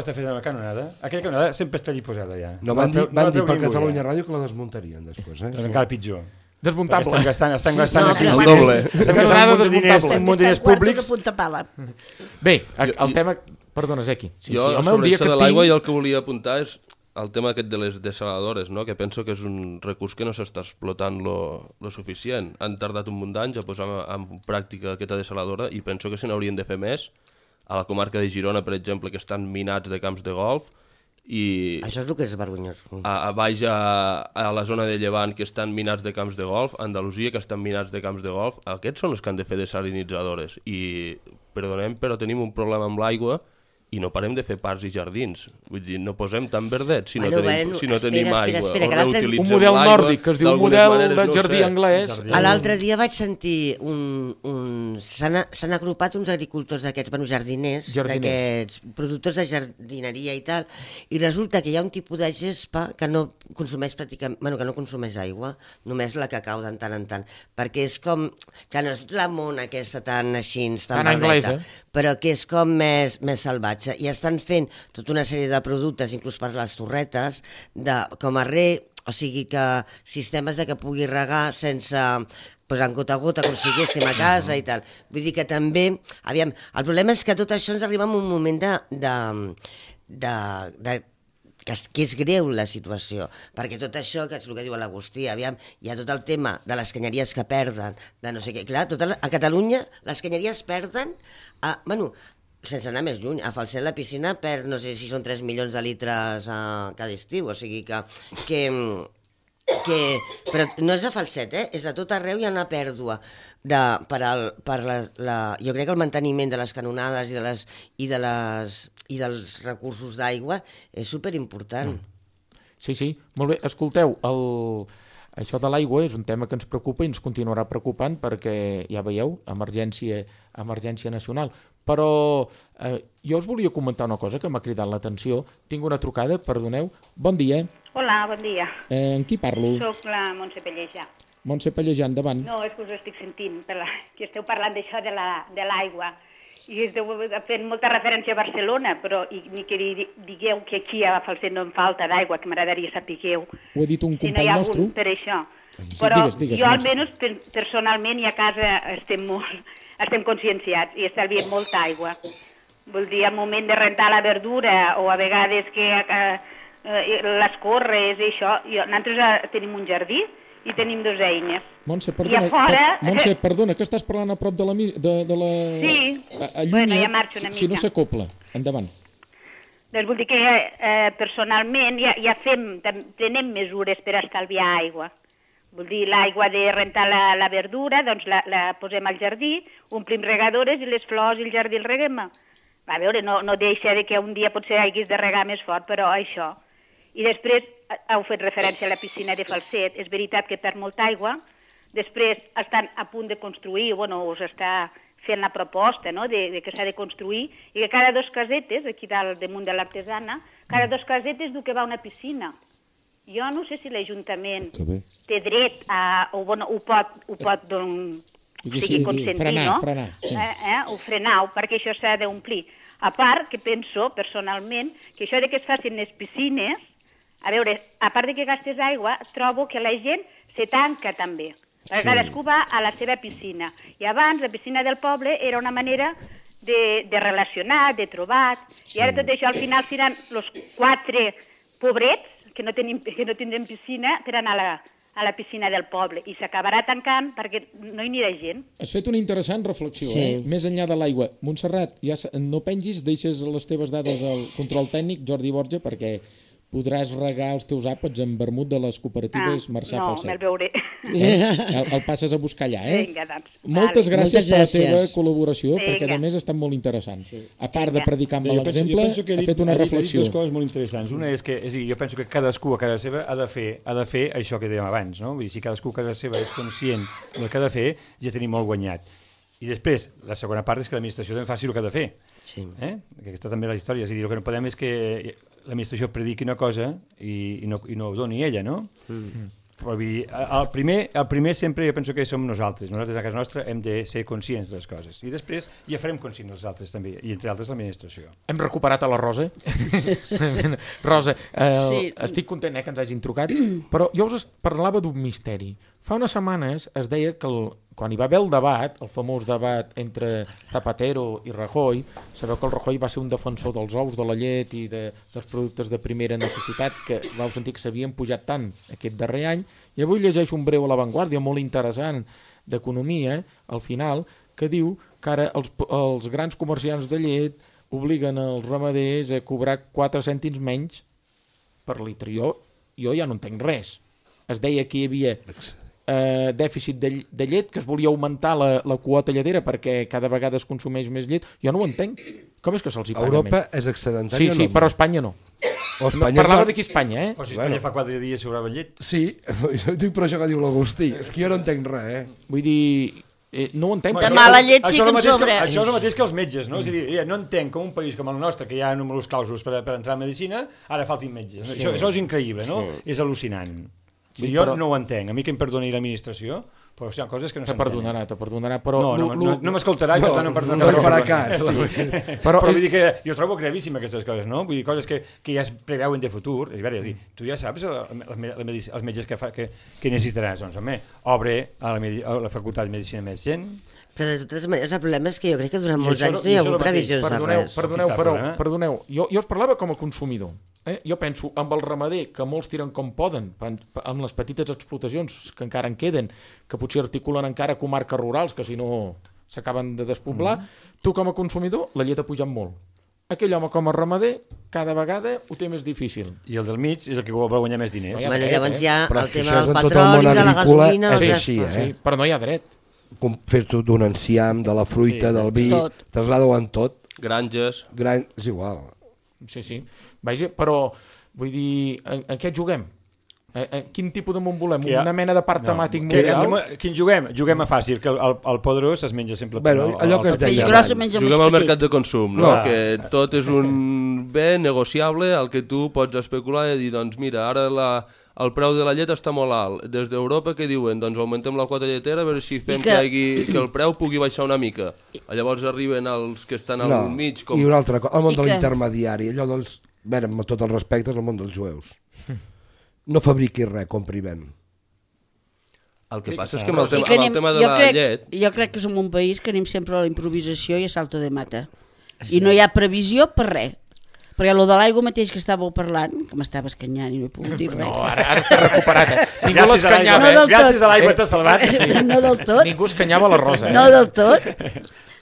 està feta la canonada, aquella canonada sempre està allí posada ja. No van dir per Catalunya Ràdio que la desmuntarien després, Doncs encara pitjor. Desmuntable. Estan gastant el doble. Estan gastant un munt diners públics. Bé, el tema... Perdona, Zeki. Jo, sobre això de l'aigua, jo el que volia apuntar és el tema aquest de les desaladores, no? Que penso que és un recurs que no s'està explotant lo suficient. Han tardat un munt d'anys a posar en pràctica aquesta desaladora i penso que se n'haurien de fer més. A la comarca de Girona, per exemple, que estan minats de camps de golf, i això és el que és vergonyós. A baix a la zona de Llevant, que estan minats de camps de golf, a Andalusia, que estan minats de camps de golf, aquests són els que han de fer desalinitzadores. I, perdonem, però tenim un problema amb l'aigua i no parem de fer parcs i jardins. Vull dir, no posem tan verdet si no tenim aigua. Un model nòrdic, que es diu un model de jardí anglès. L'altre dia vaig sentir s'han agrupat uns agricultors d'aquests, jardiners, d'aquests productors de jardineria i tal, i resulta que hi ha un tipus de gespa que no consumeix pràcticament, que no consumeix aigua, només la que cau de tant en tant, perquè és com, que no és la mona aquesta tan així, tan verdeta, però que és com més salvatge. I estan fent tota una sèrie de productes, inclús per les torretes, com a o sigui que sistemes de que pugui regar sense en gota a gota, com si haguéssim a casa i tal. Vull dir que també, aviam, el problema és que tot això ens arriba en un moment que és greu la situació, perquè tot això, que és el que diu l'Agustí, aviam, hi ha tot el tema de les canyeries que perden, de no sé què, clar, a Catalunya les canyeries perden, sense anar més lluny, a Falset la piscina perd, no sé si són 3 milions de litres cada estiu, o sigui que però no és a Falset, és a tot arreu hi ha una pèrdua jo crec que el manteniment de les canonades i dels recursos d'aigua és superimportant. Sí, molt bé, escolteu, això de l'aigua és un tema que ens preocupa i ens continuarà preocupant perquè, ja veieu, emergència nacional. Però jo us volia comentar una cosa que m'ha cridat l'atenció. Tinc una trucada, perdoneu. Bon dia. Hola, bon dia. Amb qui parlo? Soc la Montse Pellejà. Montse Pellejà, endavant. No, és que us estic sentint, que esteu parlant d'això de l'aigua. I esteu fent molta referència a Barcelona, però ni que digueu que aquí a Falset no em falta d'aigua, que m'agradaria sapigueu. Ho ha dit un company nostre. Si no hi ha algun per això. Però jo almenys personalment i a casa estem conscienciats i estalviem molta aigua. Vol dir, al moment de rentar la verdura o a vegades que les corres i això, nosaltres tenim un jardí i tenim 2 eines. Montse, perdona, que estàs parlant a prop de la... Sí, bueno, ja marxo una mica. Si no s'acopla, endavant. Doncs vull dir que personalment ja prenem mesures per estalviar aigua. Vull dir, l'aigua de rentar la verdura, doncs la posem al jardí, omplim regadores i les flors i el jardí el reguem. A veure, no deixa que un dia potser haguis de regar més fort, però això. I després heu fet referència a la piscina de Falset. És veritat que perd molta aigua. Després estan a punt de construir, us està fent la proposta de que s'ha de construir i que cada 2 casetes, aquí dalt damunt de l'artesana, cada 2 casetes diu que va a una piscina. Jo no sé si l'Ajuntament té dret ho pot consentir, no? Frenar, perquè això s'ha d'omplir. A part que penso, personalment, que això que es facin les piscines, a veure, a part que gastes aigua, trobo que la gent se tanca també. Cadascú va a la seva piscina. I abans la piscina del poble era una manera de relacionar, de trobar, i ara tot això al final seran els 4 pobrets que no tindrem piscina per anar a la piscina del poble i s'acabarà tancant perquè no hi anirà gent. Has fet una interessant reflexió, més enllà de l'aigua. Montserrat, ja no pengis, deixes les teves dades al control tècnic, Jordi Borja, perquè podràs regar els teus àpats amb vermut de les cooperatives Marçà Falset. No, me'l veuré. El passes a buscar allà, eh? Vinga, doncs. Moltes gràcies per la teva col·laboració, perquè a més ha estat molt interessant. A part de predicar amb l'exemple, ha fet una reflexió. Ha dit dues coses molt interessants. Una és que, jo penso que cadascú a casa seva ha de fer això que dèiem abans, no? Vull dir, si cadascú a casa seva és conscient del que ha de fer, ja tenim molt guanyat. I després, la segona part és que l'administració també faci el que ha de fer. Sí. Aquesta també és la història. És a dir, el que no podem és que l'administració prediqui una cosa i no ho doni ella, no? Però vull dir, el primer sempre jo penso que som nosaltres. Nosaltres a casa nostra hem de ser conscients de les coses. I després ja farem conscients els altres també, i entre altres l'administració. Hem recuperat a la Rosa. Rosa, estic content que ens hagin trucat, però jo us parlava d'un misteri. Fa unes setmanes es deia que quan hi va haver el debat, el famós debat entre Zapatero i Rajoy, sabeu que el Rajoy va ser un defensor dels ous, de la llet i dels productes de primera necessitat, que vau sentir que s'havien pujat tant aquest darrer any, i avui llegeixo un breu a l'avantguàrdia molt interessant d'economia, al final, que diu que ara els grans comerciants de llet obliguen els ramaders a cobrar 4 cèntims menys per litre. Jo ja no entenc res. Es deia que hi havia dèficit de llet, que es volia augmentar la quota lletera perquè cada vegada es consumeix més llet. Jo no ho entenc. Com és que se'ls hi paga Europa més? És excedentària? Sí, però Espanya no. Parlava d'aquí Espanya, eh? Però si Espanya fa 4 dies sobrava llet. Sí, dic per això que diu l'Agustí. És que jo no entenc res, Vull dir, no ho entenc. De mala llet sí que en sobra. Això és el mateix que els metges, no? És a dir, no entenc com un país com el nostre, que hi ha números clàusuls per entrar a medicina, ara faltin metges. Això és increïble, no? És al·lucinant. Jo no ho entenc. A mi que em perdoni l'administració, però hi ha coses que no s'entenen. Te perdonarà, però... No m'escoltarà, per tant no em no farà cas. Però vull dir que jo trobo gravíssim aquestes coses, no? Vull dir, coses que ja es preveuen de futur. És a dir, tu ja saps els metges que necessitaràs. Doncs, home, obre a la Facultat de Medicina més gent. Però de totes maneres el problema és que jo crec que durant molts anys no hi ha hagut previsions de res. Perdoneu, jo us parlava com a consumidor. Jo penso amb el ramader, que molts tiren com poden, amb les petites explotacions que encara en queden, que potser articulen encara comarques rurals, que si no s'acaben de despoblar, tu com a consumidor la llet ha pujat molt. Aquell home com a ramader cada vegada ho té més difícil. I el del mig és el que vol guanyar més diners. Llavors hi ha el tema del petroli, de la gasolina... Sí, però no hi ha dret. Fes-t'ho d'un enciam, de la fruita, del vi, traslada-ho en tot. Granges. És igual. Sí. Vaja, però vull dir, en què juguem? Quin tipus de món volem? Una mena de parc temàtic mundial? Quin juguem? Juguem a fàcil, que el poderós es menja sempre... Allò que es deia abans. Juguem al mercat de consum, no? Que tot és un bé negociable al que tu pots especular i dir, doncs mira, ara el preu de la llet està molt alt. Des d'Europa què diuen? Doncs augmentem la quota lletera a veure si fem que el preu pugui baixar una mica. Llavors arriben els que estan al mig... I una altra cosa, el món de l'intermediari, allò dels... amb tot el respecte, és el món dels jueus. No fabriqui res, compri ven. El que passa és que amb el tema de la llet... Jo crec que som un país que anem sempre a la improvisació i a salto de mata. I no hi ha previsió per res. Perquè el de l'aigua mateix que estàveu parlant, que m'estava escanyant i no he pogut dir res. No, ara està recuperat. Ningú l'escanyava. Gràcies a l'aigua t'has salvat. No del tot. Ningú escanyava la Rosa. No del tot.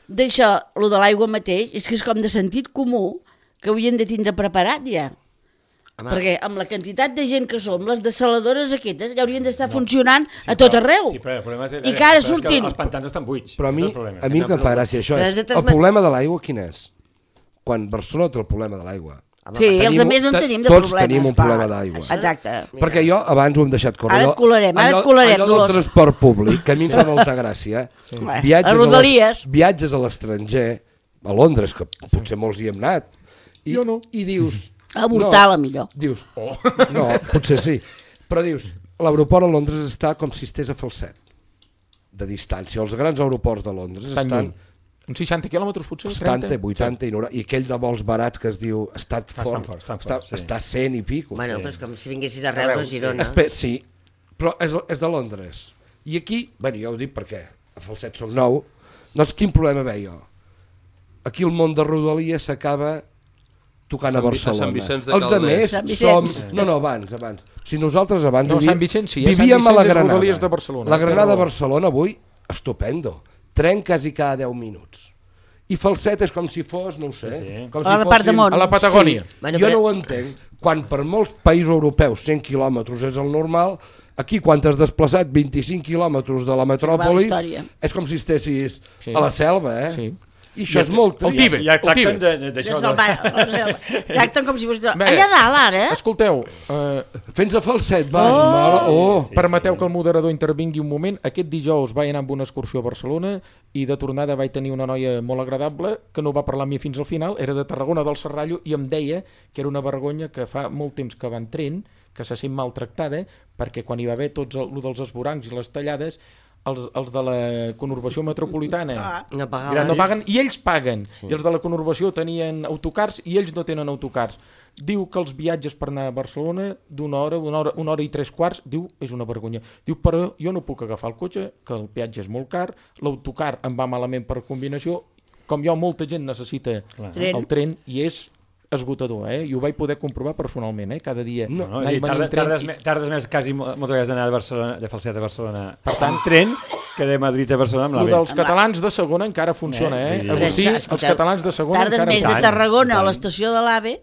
D'això, el de l'aigua mateix, és que és com de sentit comú que haurien de tindre preparat ja. Perquè amb la quantitat de gent que som, les dessaladores aquestes ja haurien d'estar funcionant a tot arreu. I que ara sortint... Els pantans estan buits. Però a mi el que em fa gràcia això és el problema de l'aigua quin és? Quan Barcelona té el problema de l'aigua. Sí, els altres no en tenim de problemes. Tots tenim un problema d'aigua. Exacte. Perquè jo abans ho hem deixat córrer. Ara et colarem, allò del transport públic, que a mi em fa molta gràcia. Viatges a l'estranger, a Londres, que potser molts hi hem anat, i dius... Avortar la millor. Dius, no, potser sí. Però dius, l'aeroport a Londres està com si estigués a Falset, de distància. Els grans aeroports de Londres estan... Uns 60 quilòmetres potser? 70, 80 i 90. I aquell de vols barats que es diu Stanford, està 100 i pico. Bueno, però és com si vinguessis a Reus o Girona. Sí, però és de Londres. I aquí, bueno, ja ho dic perquè a Falset soc nou, doncs quin problema veig jo? Aquí el món de Rodalies s'acaba tocant a Barcelona. Sant Vicenç de Els Calders. demés som... No, abans. Si nosaltres abans Sant Vicenç sí, vivíem a la Granada. De Barcelona. La Granada de Barcelona avui, estupendo. Tren quasi cada 10 minuts. I Falset és com si fos, no ho sé, com si a la part de món. A la Patagònia. Sí. Jo no ho entenc. Quan per molts països europeus 100 quilòmetres és el normal, aquí quan t'has desplaçat 25 quilòmetres de la metròpolis, és com si estessis a la selva, eh? Sí. I això és molt trist. El Tíbet. Ja tracten d'això. Tracten com si fos... Allà dalt, ara. Escolteu, fent-se Falset, va. Permeteu que el moderador intervingui un moment. Aquest dijous vaig anar amb una excursió a Barcelona i de tornada vaig tenir una noia molt agradable que no va parlar amb mi fins al final, era de Tarragona del Serrallo i em deia que era una vergonya que fa molt temps que va en tren, que se sent maltractada, perquè quan hi va haver tots els esvorancs i les tallades, els de la conurbació metropolitana no paguen i ells paguen, i els de la conurbació tenien autocars i ells no tenen autocars. Diu que els viatges per anar a Barcelona d'una hora i 3/4, diu, és una vergonya. Diu, però jo no puc agafar el cotxe, que el peatge és molt car, l'autocar em va malament per combinació, com jo molta gent necessita el tren i és esgotador, i ho vaig poder comprovar personalment, cada dia. Tardes més quasi moltes vegades d'anar de Falset a Barcelona per tant tren que de Madrid a Barcelona amb l'AVE. Els catalans de segona encara funciona, Agustí, els catalans de segona encara funciona. Tardes més de Tarragona a l'estació de l'AVE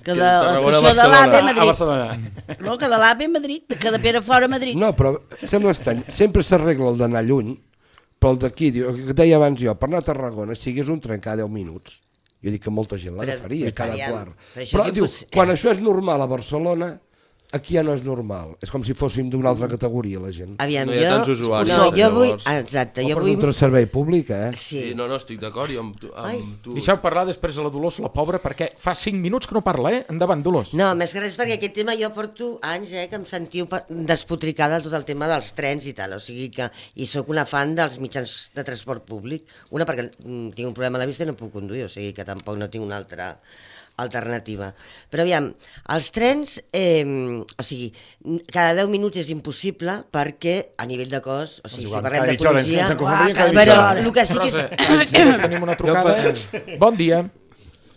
que de l'estació de l'AVE a Madrid. A Barcelona. No, que de l'AVE a Madrid, que de Perafort a Madrid. No, però sembla estrany. Sempre s'arregla el d'anar lluny, però el d'aquí, que deia abans jo, per anar a Tarragona, sigués un tren cada 10 minuts. Jo dic que molta gent l'agafaria cada quart. Però diu, quan això és normal a Barcelona, aquí ja no és normal. És com si fóssim d'una altra categoria, la gent. Aviam, no hi ha tants usuaris. No, jo vull... Exacte, jo vull... un servei públic, Sí, no, estic d'acord, jo amb tu... Deixeu parlar després a la Dolors, la pobra, perquè fa 5 minuts que no parla, Endavant, Dolors. No, més que res perquè aquest tema jo porto anys, que em sentiu despotricada tot el tema dels trens i tal, o sigui que... I sóc una fan dels mitjans de transport públic. Una, perquè tinc un problema a la vista i no puc conduir, o sigui que tampoc no tinc una altra alternativa. Però aviam, els trens, o sigui, cada 10 minuts és impossible perquè a nivell de cost, o sigui, si parlem d'ecologia... Però el que sí que és... Tenim una trucada. Bon dia.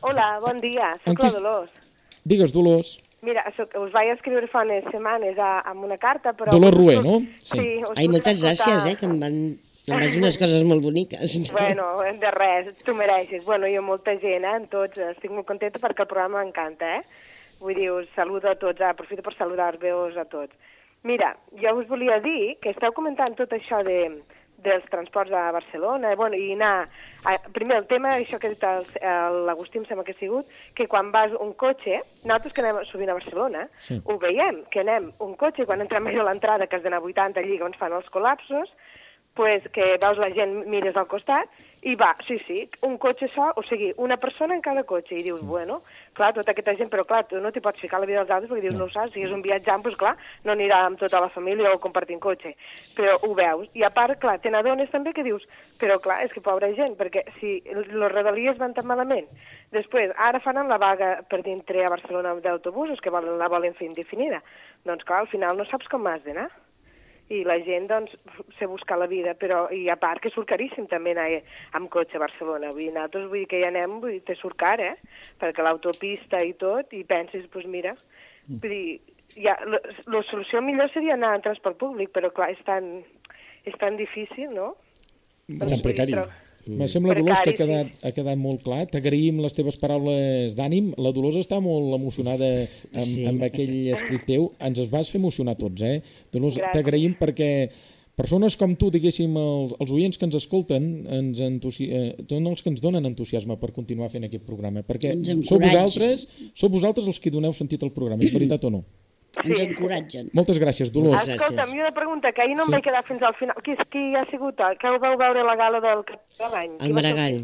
Hola, bon dia, soc la Dolors. Digues, Dolors. Mira, us vaig escriure fa unes setmanes amb una carta, però... Dolors Rué, no? Sí. Ai, moltes gràcies, que em van dir unes coses molt boniques. Bueno, de res, tu mereixes. Bueno, jo molta gent, en tots, estic molt contenta perquè el programa m'encanta, Vull dir, us saludo a tots, aprofito per saludar-vos a tots. Mira, jo us volia dir que esteu comentant tot això dels transports a Barcelona, i anar... Primer, el tema, això que ha dit l'Agustí, em sembla que ha sigut, que quan vas un cotxe, nosaltres que anem sovint a Barcelona, ho veiem, que anem un cotxe, quan entrem a l'entrada, que has d'anar 80 allí, on fan els col·lapsos, pues que veus la gent, mires al costat, i va, sí, un cotxe sol, o sigui, una persona en cada cotxe, i dius, bueno, clar, tota aquesta gent, però clar, tu no t'hi pots ficar la vida dels altres perquè dius, no ho saps, si és un viatjant, doncs clar, no anirà amb tota la família o compartint cotxe, però ho veus, i a part, clar, te n'adones també que dius, però clar, és que pobra gent, perquè si les rodalies van tan malament, després, ara fan la vaga per dintre a Barcelona d'autobusos, que la volen fer indefinida, doncs clar, al final no saps com has d'anar. I la gent, doncs, se busca la vida, però, i a part que surt caríssim també anar amb cotxe a Barcelona. Vull dir, nosaltres, vull dir que ja anem, vull dir, te surt car, perquè l'autopista i tot, i penses, doncs mira, vull dir, ja, la solució millor seria anar en transport públic, però clar, és tan difícil, no? Tan precari. Me sembla, Dolors, que ha quedat molt clar. T'agraïm les teves paraules d'ànim. La Dolors està molt emocionada amb aquell escrit teu. Ens vas fer emocionar tots, Dolors, t'agraïm perquè persones com tu, diguéssim, els oients que ens escolten, són els que ens donen entusiasme per continuar fent aquest programa, perquè sou vosaltres els que doneu sentit al programa, és veritat o no? Ens encoratgen. Moltes gràcies, Dolors. Escolta'm, i una pregunta, que ahir no em vaig quedar fins al final. Qui ha sigut? Que ho vau veure a la gala del Cap de l'any? El Maragall.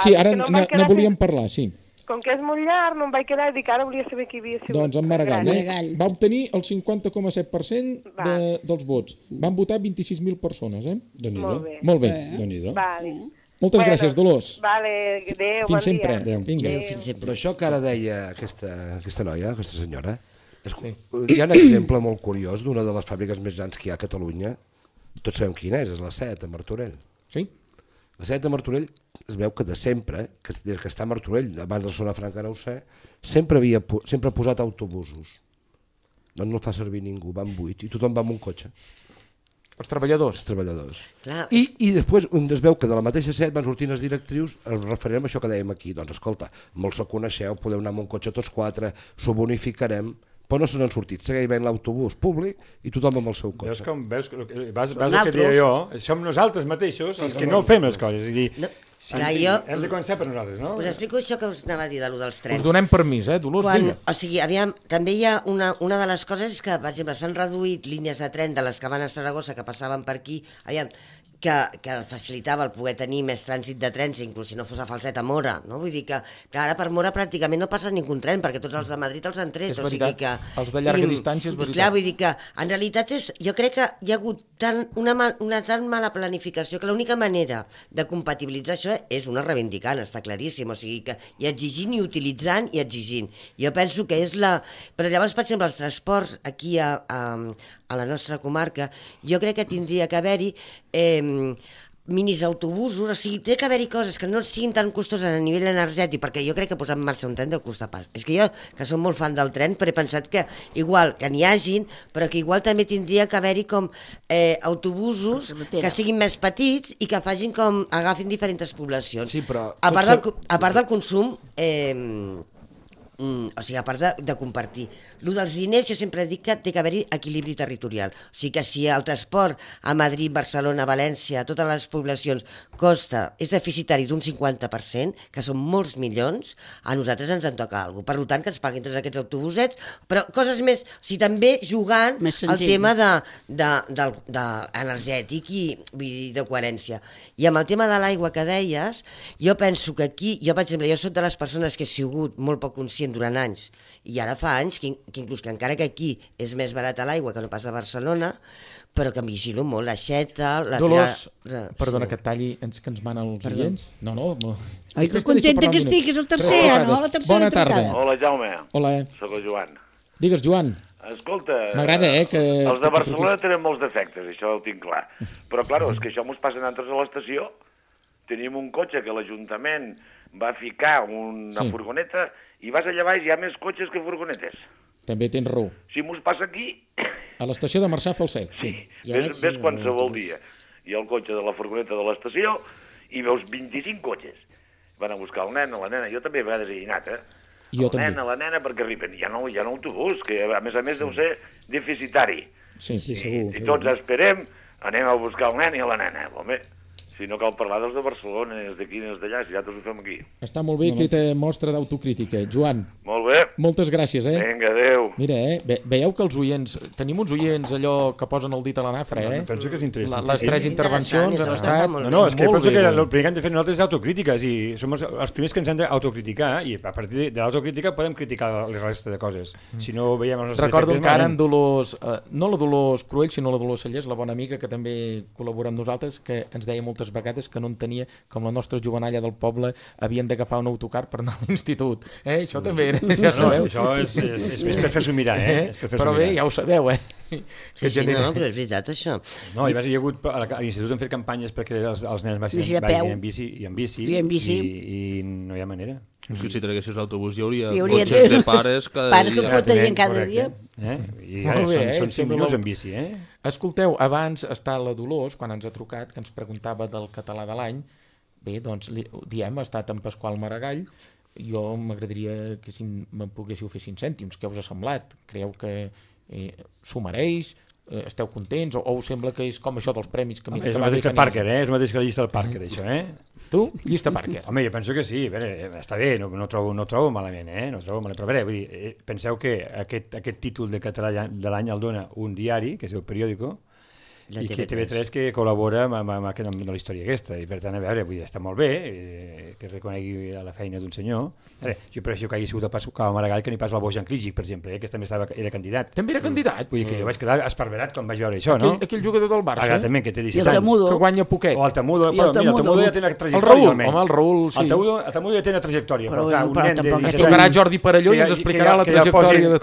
Sí, ara no volíem parlar, sí. Com que és molt llarg, no em vaig quedar i dic, ara volia saber qui havia sigut. Doncs en Maragall. Va obtenir el 50,7% dels vots. Van votar 26.000 persones, Molt bé. Moltes gràcies, Dolors. Vale, adéu, bon dia. Fins sempre. Però això que ara deia aquesta noia, aquesta senyora, hi ha un exemple molt curiós d'una de les fàbriques més grans que hi ha a Catalunya, tots sabem quina és la SEAT, a Martorell. Sí. La Sanet de Martorell es veu que de sempre, que des que està a Martorell, abans de Zona Franca no ho sé, sempre ha posat autobusos. No el fa servir ningú, van buits, i tothom va amb un cotxe. Els treballadors. Els treballadors. Clar, I després es veu que de la mateixa set van sortint les directrius, referent a això que dèiem aquí. Doncs escolta, molts el coneixeu, podeu anar amb un cotxe tots quatre, s'ho bonificarem, però no se n'han sortit. Segueix veient l'autobús públic i tothom amb el seu cotxe. Vas el que deia jo, som nosaltres mateixos els que no fem les coses. Hem de començar per nosaltres, no? Us explico això que us anava a dir de lo dels trens. Us donem permís, Dolors? O sigui, aviam, també hi ha una de les coses és que, per exemple, s'han reduït línies de tren de les que van a Saragossa, que passaven per aquí, aviam, que facilitava el poder tenir més trànsit de trens, inclús si no fos a Falset a Mora, no? Vull dir que ara per Mora pràcticament no passa ningú tren, perquè tots els de Madrid els han tret. És veritat, els de llarga distància és veritat. Clar, vull dir que en realitat jo crec que hi ha hagut una tan mala planificació que l'única manera de compatibilitzar això és una reivindicant, està claríssim, o sigui que i exigint i utilitzant i exigint. Jo penso que és la... Però llavors, per exemple, els transports aquí a la nostra comarca, jo crec que tindria que haver-hi minis autobusos, o sigui, té que haver-hi coses que no siguin tan costoses a nivell energètic, perquè jo crec que posar en marxa un tren deu costar pas. És que jo, que som molt fan del tren, però he pensat que igual que n'hi hagin, però que igual també tindria que haver-hi com autobusos que siguin més petits i que facin com, agafin diferents poblacions. Sí, però... A part del consum... o sigui, a part de compartir. Lo dels diners, jo sempre dic que té que haver-hi equilibri territorial. O sigui que si el transport a Madrid, Barcelona, València, totes les poblacions és deficitari d'un 50%, que són molts milions, a nosaltres ens en toca alguna cosa. Per tant, que ens paguin tots aquests autobusets, però coses més... O sigui, també jugant al tema energètic i de coherència. I amb el tema de l'aigua que deies, jo penso que aquí, jo per exemple, jo soc de les persones que he sigut molt poc conscient durant anys, i ara fa anys que inclús que encara que aquí és més barata l'aigua que no pas a Barcelona, però que em vigilo molt la xeta... Dolors, perdona que et talli, que ens manen els oients. No. Ai, que contenta que estic, és el tercer, no? La tercera Bona tarda. Hola, Jaume. Hola. Soc el Joan. Digues, Joan. Escolta, m'agrada, que... Els de Barcelona tenen molts defectes, això ho tinc clar. Però, clar, és que això mos passa a nosaltres a l'estació. Tenim un cotxe que l'Ajuntament va ficar una furgoneta i vas allà baix, hi ha més cotxes que furgonetes. També tens raó. Si mos passa aquí... A l'estació de Marçà Falset, sí. Ves qualsevol dia. Hi ha el cotxe de la furgoneta de l'estació i veus 25 cotxes. Van a buscar el nen, la nena, jo també a vegades he anat, la nena, perquè arriben. Hi ha un autobús, que a més deu ser deficitari. Sí, segur. I tots esperem, anem a buscar el nen i la nena. Home, si no cal parlar dels de Barcelona, els d'aquí, els d'allà, si ja tots ho fem aquí. Està molt bé aquesta mostra d'autocrítica. Joan, molt bé. Moltes gràcies, Vinga, adéu. Mira, veieu que els oients, tenim uns oients allò que posen el dit a la nafra, Penso que és interessant. Les 3 intervencions han estat No, és que penso que el primer que hem de fer nosaltres és autocrítica, i som els primers que ens hem d'autocriticar, i a partir de l'autocrítica podem criticar la resta de coses. Si no veiem els nostres Recordo encara en Dolors, no la Dolors Cruell, sinó la Dolors Cellers, la bona amiga que també col·labora amb nosaltres, que ens deia moltes vegades que no entenia com la nostra jovenalla del poble havien d'agafar un autocar per anar a l'institut. Això també era, ja sabeu. Això és per fer-s'ho mirar, Però bé, ja ho sabeu, Sí, no, però és veritat, això. No, hi ha hagut, a l'institut han fet campanyes perquè els nens vagin en bici i no hi ha manera. Si traguessis l'autobús hi hauria cotxes de pares cada dia. Cada dia. I són 5 minuts en bici, Escolteu, abans està la Dolors, quan ens ha trucat, que ens preguntava del català de l'any. Bé, doncs, diem, ha estat en Pasqual Maragall. Jo m'agradaria que si me'n poguéssiu fer 5 cèntims. Què us ha semblat? Creieu que s'ho mereix? Esteu contents? O us sembla que és com això dels premis? És el mateix que Parker, és el mateix que la llista del Parker, això, Tu? Llista Parker. Home, jo penso que sí, està bé, no trobo malament, no trobo malament, però vull dir, penseu que aquest títol de català de l'any el dona un diari, que es diu Periódico, i que TV3 que col·labora amb la història aquesta, i per tant, a veure, vull dir, està molt bé que reconegui la feina d'un senyor. Jo prefereixo que hagi sigut el Pasqual Maragall que ni pas el Bojan Klijic, per exemple, que també era candidat. També era candidat? Vull dir que jo vaig quedar esparverat quan vaig veure això, no? Aquell jugador del Barça. Exactament, que té 17 anys. Que guanya poquet. O Altamudo, però mira, Altamudo ja té una trajectòria almenys. El Raül, sí. Altamudo ja té una trajectòria, però clar, un nen de 17 anys... Es trucarà Jordi Parelló i ens explicarà la trajectòria de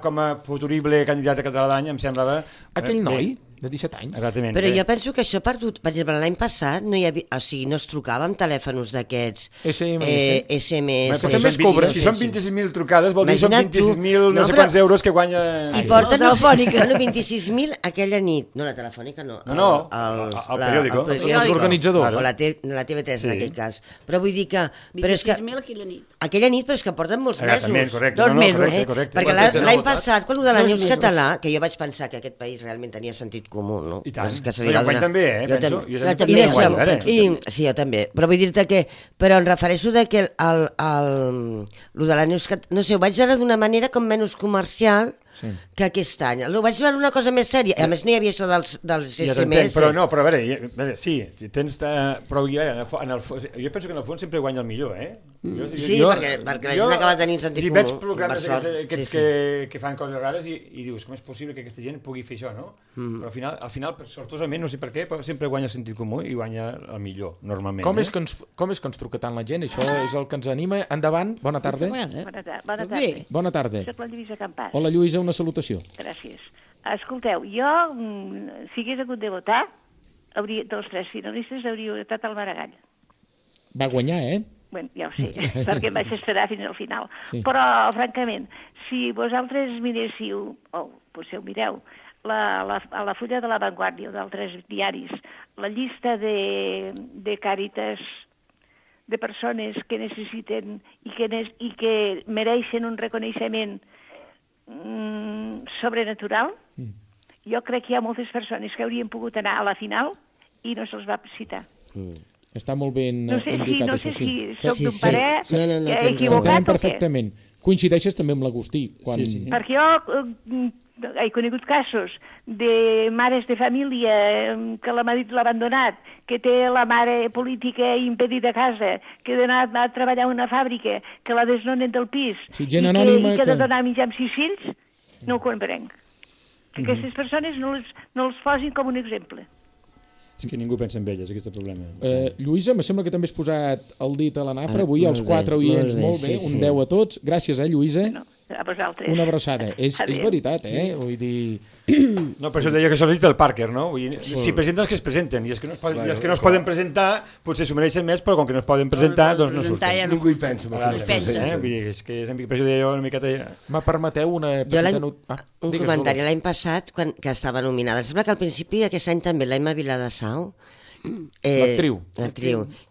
com a futurible candidat a català d'any, em semblava... Aquell noi... De 17 anys. Exactament. Però jo penso que això ha perdut... Per exemple, l'any passat no hi havia... O sigui, no es trucava amb telèfons d'aquests... SMS. Però també es cobra. Si són 26.000 trucades, vol dir que són 26.000 no sé quants euros que guanya... I porten... Bueno, 26.000 aquella nit. No, la telefònica no. No, el periòdico. L'organitzador. O la TV3 en aquell cas. Però vull dir que... 26.000 aquella nit. Aquella nit, però és que porten molts mesos. Correcte. 2 mesos. Perquè l'any passat, quan ho de l'any català, que jo vaig pensar que aquest país realment tenia sentit comú, no? I tant. Que se li va donar. També, penso. Jo també. Però vull dir-te que... Però em refereixo que el de la Neus... No sé, ho vaig veure d'una manera com menys comercial que aquest any. Ho vaig veure una cosa més sèria. A més, no hi havia això dels SMS. Però a veure, sí, tens... Però jo penso que en el fons sempre guanya el millor, Sí, perquè la gent acaba tenint sentit comú. Si veig programes aquests que fan coses rares i dius, com és possible que aquesta gent pugui fer això, no? Però al final, sortosament, no sé per què, però sempre guanya el sentit comú i guanya el millor, normalment. Com és que ens truca tant la gent? Això és el que ens anima. Endavant, bona tarda. Bona tarda. Soc la Lluïsa Campàs. Hola, Lluïsa, una salutació. Gràcies. Escolteu, jo, si hagués hagut de votar, dels 3 finalistes hauria votat el Maragall. Va guanyar, Bueno, ja ho sé, perquè em vaig esperar fins al final. Sí. Però, francament, si vosaltres miréssiu, o potser ho mireu, a la fulla de La Vanguardia o d'altres diaris, la llista de càritas de persones que necessiten i que mereixen un reconeixement sobrenatural, jo crec que hi ha moltes persones que haurien pogut anar a la final i no se'ls va citar. Està molt ben indicat, no sé això, si soc d'un parer equivocat o què. Perfectament. Coincideixes també amb l'Agustí. Perquè jo he conegut casos de mares de família que el marit l'ha abandonat, que té la mare política impedida a casa, que ha d'anar a treballar a una fàbrica, que la desnonen del pis, i que ha de donar menjar amb 6 fills, no ho comprenc. Aquestes persones no els posin com un exemple. És que ningú pensa en elles, aquest problema. Lluïsa, me sembla que també has posat el dit a la nafra, avui els 4 oients molt bé, un 10 a tots. Gràcies, Lluïsa. A vosaltres. Una abraçada. És veritat, vull dir... No, per això deia que això és el Parker, no? Vull dir, si presenten els que es presenten, i els que no es poden presentar, potser s'ho mereixen més, però com que no es poden presentar, doncs no surten. Ningú hi pensa. Vull dir, és que per això deia jo una miqueta... Me permeteu una petita un comentari. L'any passat, que estava nominada, sembla que al principi d'aquest any també l'Emma Viladasau, l'actriu.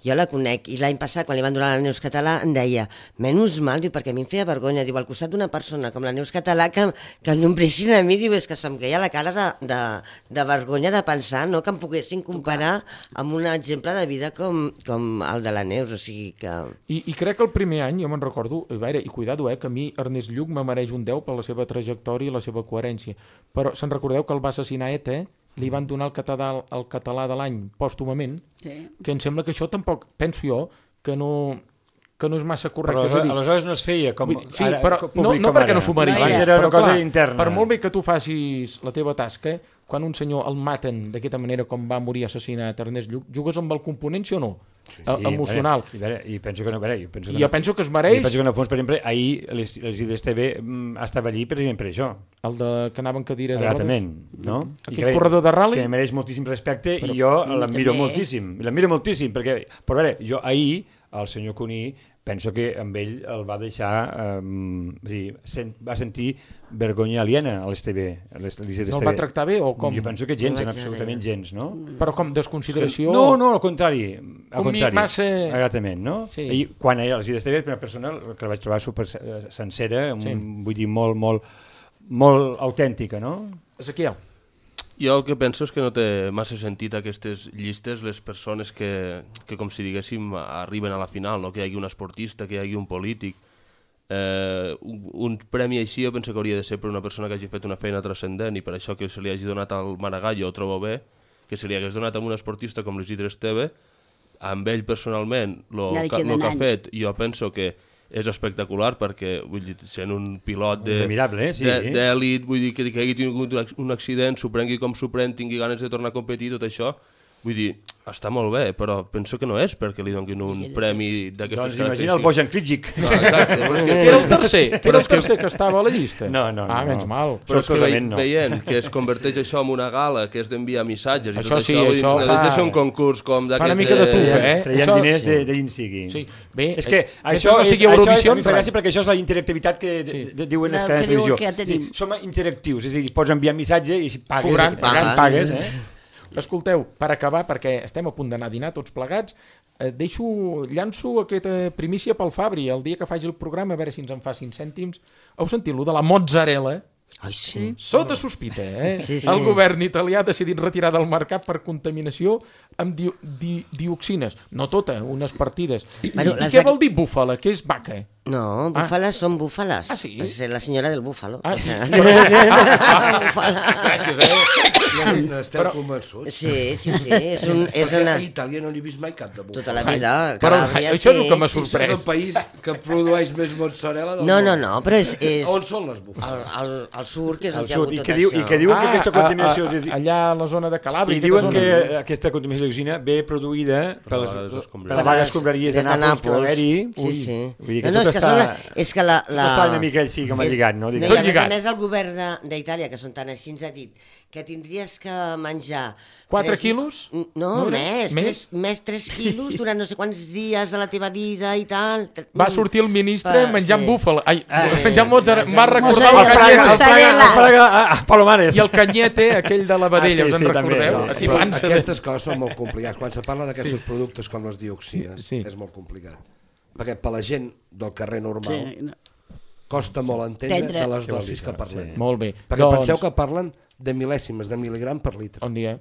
Jo la conec, i l'any passat quan li van donar la Neus Català em deia, menys mal, diu, perquè a mi em feia vergonya, diu, al costat d'una persona com la Neus Català que em nombressin a mi, diu, és que se'm queia la cara de vergonya de pensar, no, que em poguessin comparar amb un exemple de vida com el de la Neus, o sigui que... I crec que el primer any, jo me'n recordo, i cuidado, que a mi Ernest Lluch me mereix un 10 per la seva trajectòria i la seva coherència, però se'n recordeu que el va assassinar ETA, li van donar el català de l'any pòstumament, que em sembla que això tampoc, penso jo, que no és massa correcte. Però aleshores no es feia com... Sí, però no perquè no s'ho mereixés. Abans era una cosa interna. Per molt bé que tu facis la teva tasca, quan un senyor el maten d'aquesta manera com va morir assassinat Ernest Lluch, jugues amb el component, sí o no? Emocional. I penso que no, jo penso que es mereix. I penso que en el fons, per exemple, ahir les IDS TV estava allí precisament per això. El que anava en cadira de rodes. Exactament, no? Aquell corredor de rally. Que mereix moltíssim respecte i jo l'admiro moltíssim. L'admiro moltíssim, perquè, però a veure, jo ahir, el senyor Cuní, penso que amb ell el va deixar, va sentir vergonya aliena a l'STV. No el va tractar bé o com? Jo penso que gens, absolutament gens, no? Però com, desconsideració? No, al contrari. Com ni massa... Exactament, no? I quan a l'STV, una persona que la vaig trobar super sencera, vull dir, molt autèntica, no? Ezequiel. Jo el que penso és que no té massa sentit aquestes llistes, les persones que com si diguéssim, arriben a la final, no? Que hi hagi un esportista, que hi hagi un polític. Un premi així jo penso que hauria de ser per una persona que hagi fet una feina transcendent i per això que se li hagi donat al Maragall jo ho trobo bé, que se li hagués donat a un esportista com l'Isidre Esteve, amb ell personalment, el que ha fet, jo penso que és espectacular perquè, vull dir, sent un pilot d'èlit, vull dir, que hagi tingut un accident, s'ho prengui com s'ho pren, tingui ganes de tornar a competir, tot això, Vull dir, està molt bé, però penso que no és perquè li donguin un premi d'aquestes característiques. Doncs imagina el Bojan Kricic. No, exacte. Era el tercer que estava a la llista. No. Menys mal. Però és que veient que es converteix això en una gala, que és d'enviar missatges i tot això, fa... ser un concurs com d'aquest... Fa una mica de tufa, Traiem diners d'in sigui. Sí, bé, és que això no sigui Eurovisió, em fa gràcia perquè això és la interactivitat que diuen les cadenes de televisió. Som interactius, és a dir, pots enviar missatge i si pagues, Escolteu, per acabar, perquè estem a punt d'anar a dinar tots plegats, llanço aquesta primícia pel Fabri. El dia que faci el programa, a veure si ens en fa 5 cèntims. Heu sentit lo de la mozzarella? Ai, sí. Sota sospita, El govern italià ha decidit retirar del mercat per contaminació amb dioxines. No tota, unes partides. I què vol dir búfala? Què és vaca? No, búfales són búfales. Ah, sí? És la senyora del búfalo. Gràcies, N'esteu convençuts? Sí. És una... A Itàlia no n'he vist mai cap de búfalo. Tota la vida. Però això és el que m'ha sorprès. És el país que produeix més mozzarella del món. No, però és... On són les búfales? Al sud, que és on hi ha hagut tot això. I que diuen que aquesta contaminació... Allà a la zona de Calàbria. I diuen que aquesta contaminació dioxina ve produïda per les escombraries de Nàpols que va haver-hi. Sí. No, és que la... Està una mica així com a lligat, no? I a més el govern d'Itàlia, que són tan així, ens ha dit que tindries que menjar... 4 quilos? No, més 3 quilos durant no sé quants dies de la teva vida i tal. Va sortir el ministre menjant búfal. Ai, menjant mozzarella. M'ha recordat el Fraga Palomares. I el canyete, aquell de la vedella, us en recordeu? Aquestes coses són molt complicades. Quan se parla d'aquests productes com les dioxines, és molt complicat. Perquè per la gent del carrer normal costa molt entendre de les dosis que parlem. Molt bé. Perquè penseu que parlen de mil·lèsimes de mil·ligram per litre. Bon dia.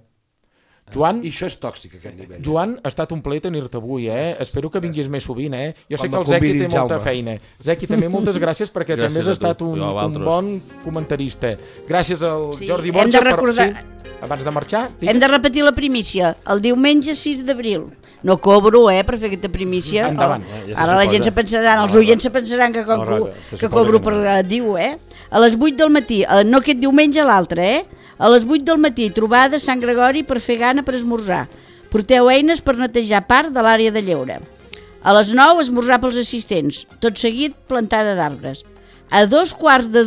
Joan, i això és tòxic, aquest nivell. Joan, ha estat un plaer tenir-te avui, Espero que vinguis més sovint, Jo sé que el Zequi té molta feina. Zequi, també moltes gràcies perquè també has estat un bon comentarista. Gràcies al Jordi Borja. Abans de marxar... Hem de repetir la primícia. El diumenge 6 d'abril. No cobro, per fer aquesta primícia. Endavant. Ara la gent se pensarà, els oients se pensaran que cobro per dir-ho, A les 8 del matí, no aquest diumenge, l'altre, A les 8 del matí, trobada a Sant Gregori per fer gana per esmorzar. Porteu eines per netejar part de l'àrea de lleure. A les 9, esmorzar pels assistents. Tot seguit, plantada d'arbres. A 2:15 de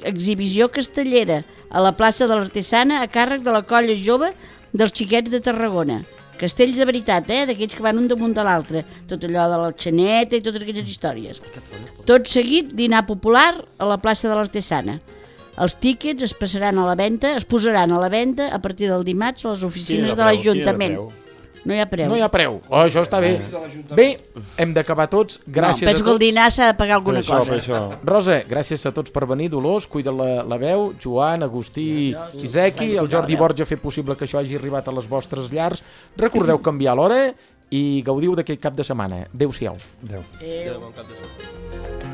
l'exhibició castellera a la plaça de l'Artesana a càrrec de la colla jove dels xiquets de Tarragona. Castells de veritat, d'aquells que van un damunt de l'altre. Tot allò de la xaneta i totes aquelles històries. Tot seguit, dinar popular a la plaça de l'Artesana. Els tíquets es posaran a la venda a partir del dimarts a les oficines de l'Ajuntament. No hi ha preu. No hi ha preu. Això està bé. Bé, hem d'acabar tots. Gràcies a tots. Penso que el dinar s'ha de pagar alguna cosa. Rosa, gràcies a tots per venir. Dolors, cuida la veu. Joan, Agustí i Zequi. El Jordi Borja ha fet possible que això hagi arribat a les vostres llars. Recordeu canviar l'hora i gaudiu d'aquest cap de setmana. Adéu-siau. Adéu. Bon cap de setmana.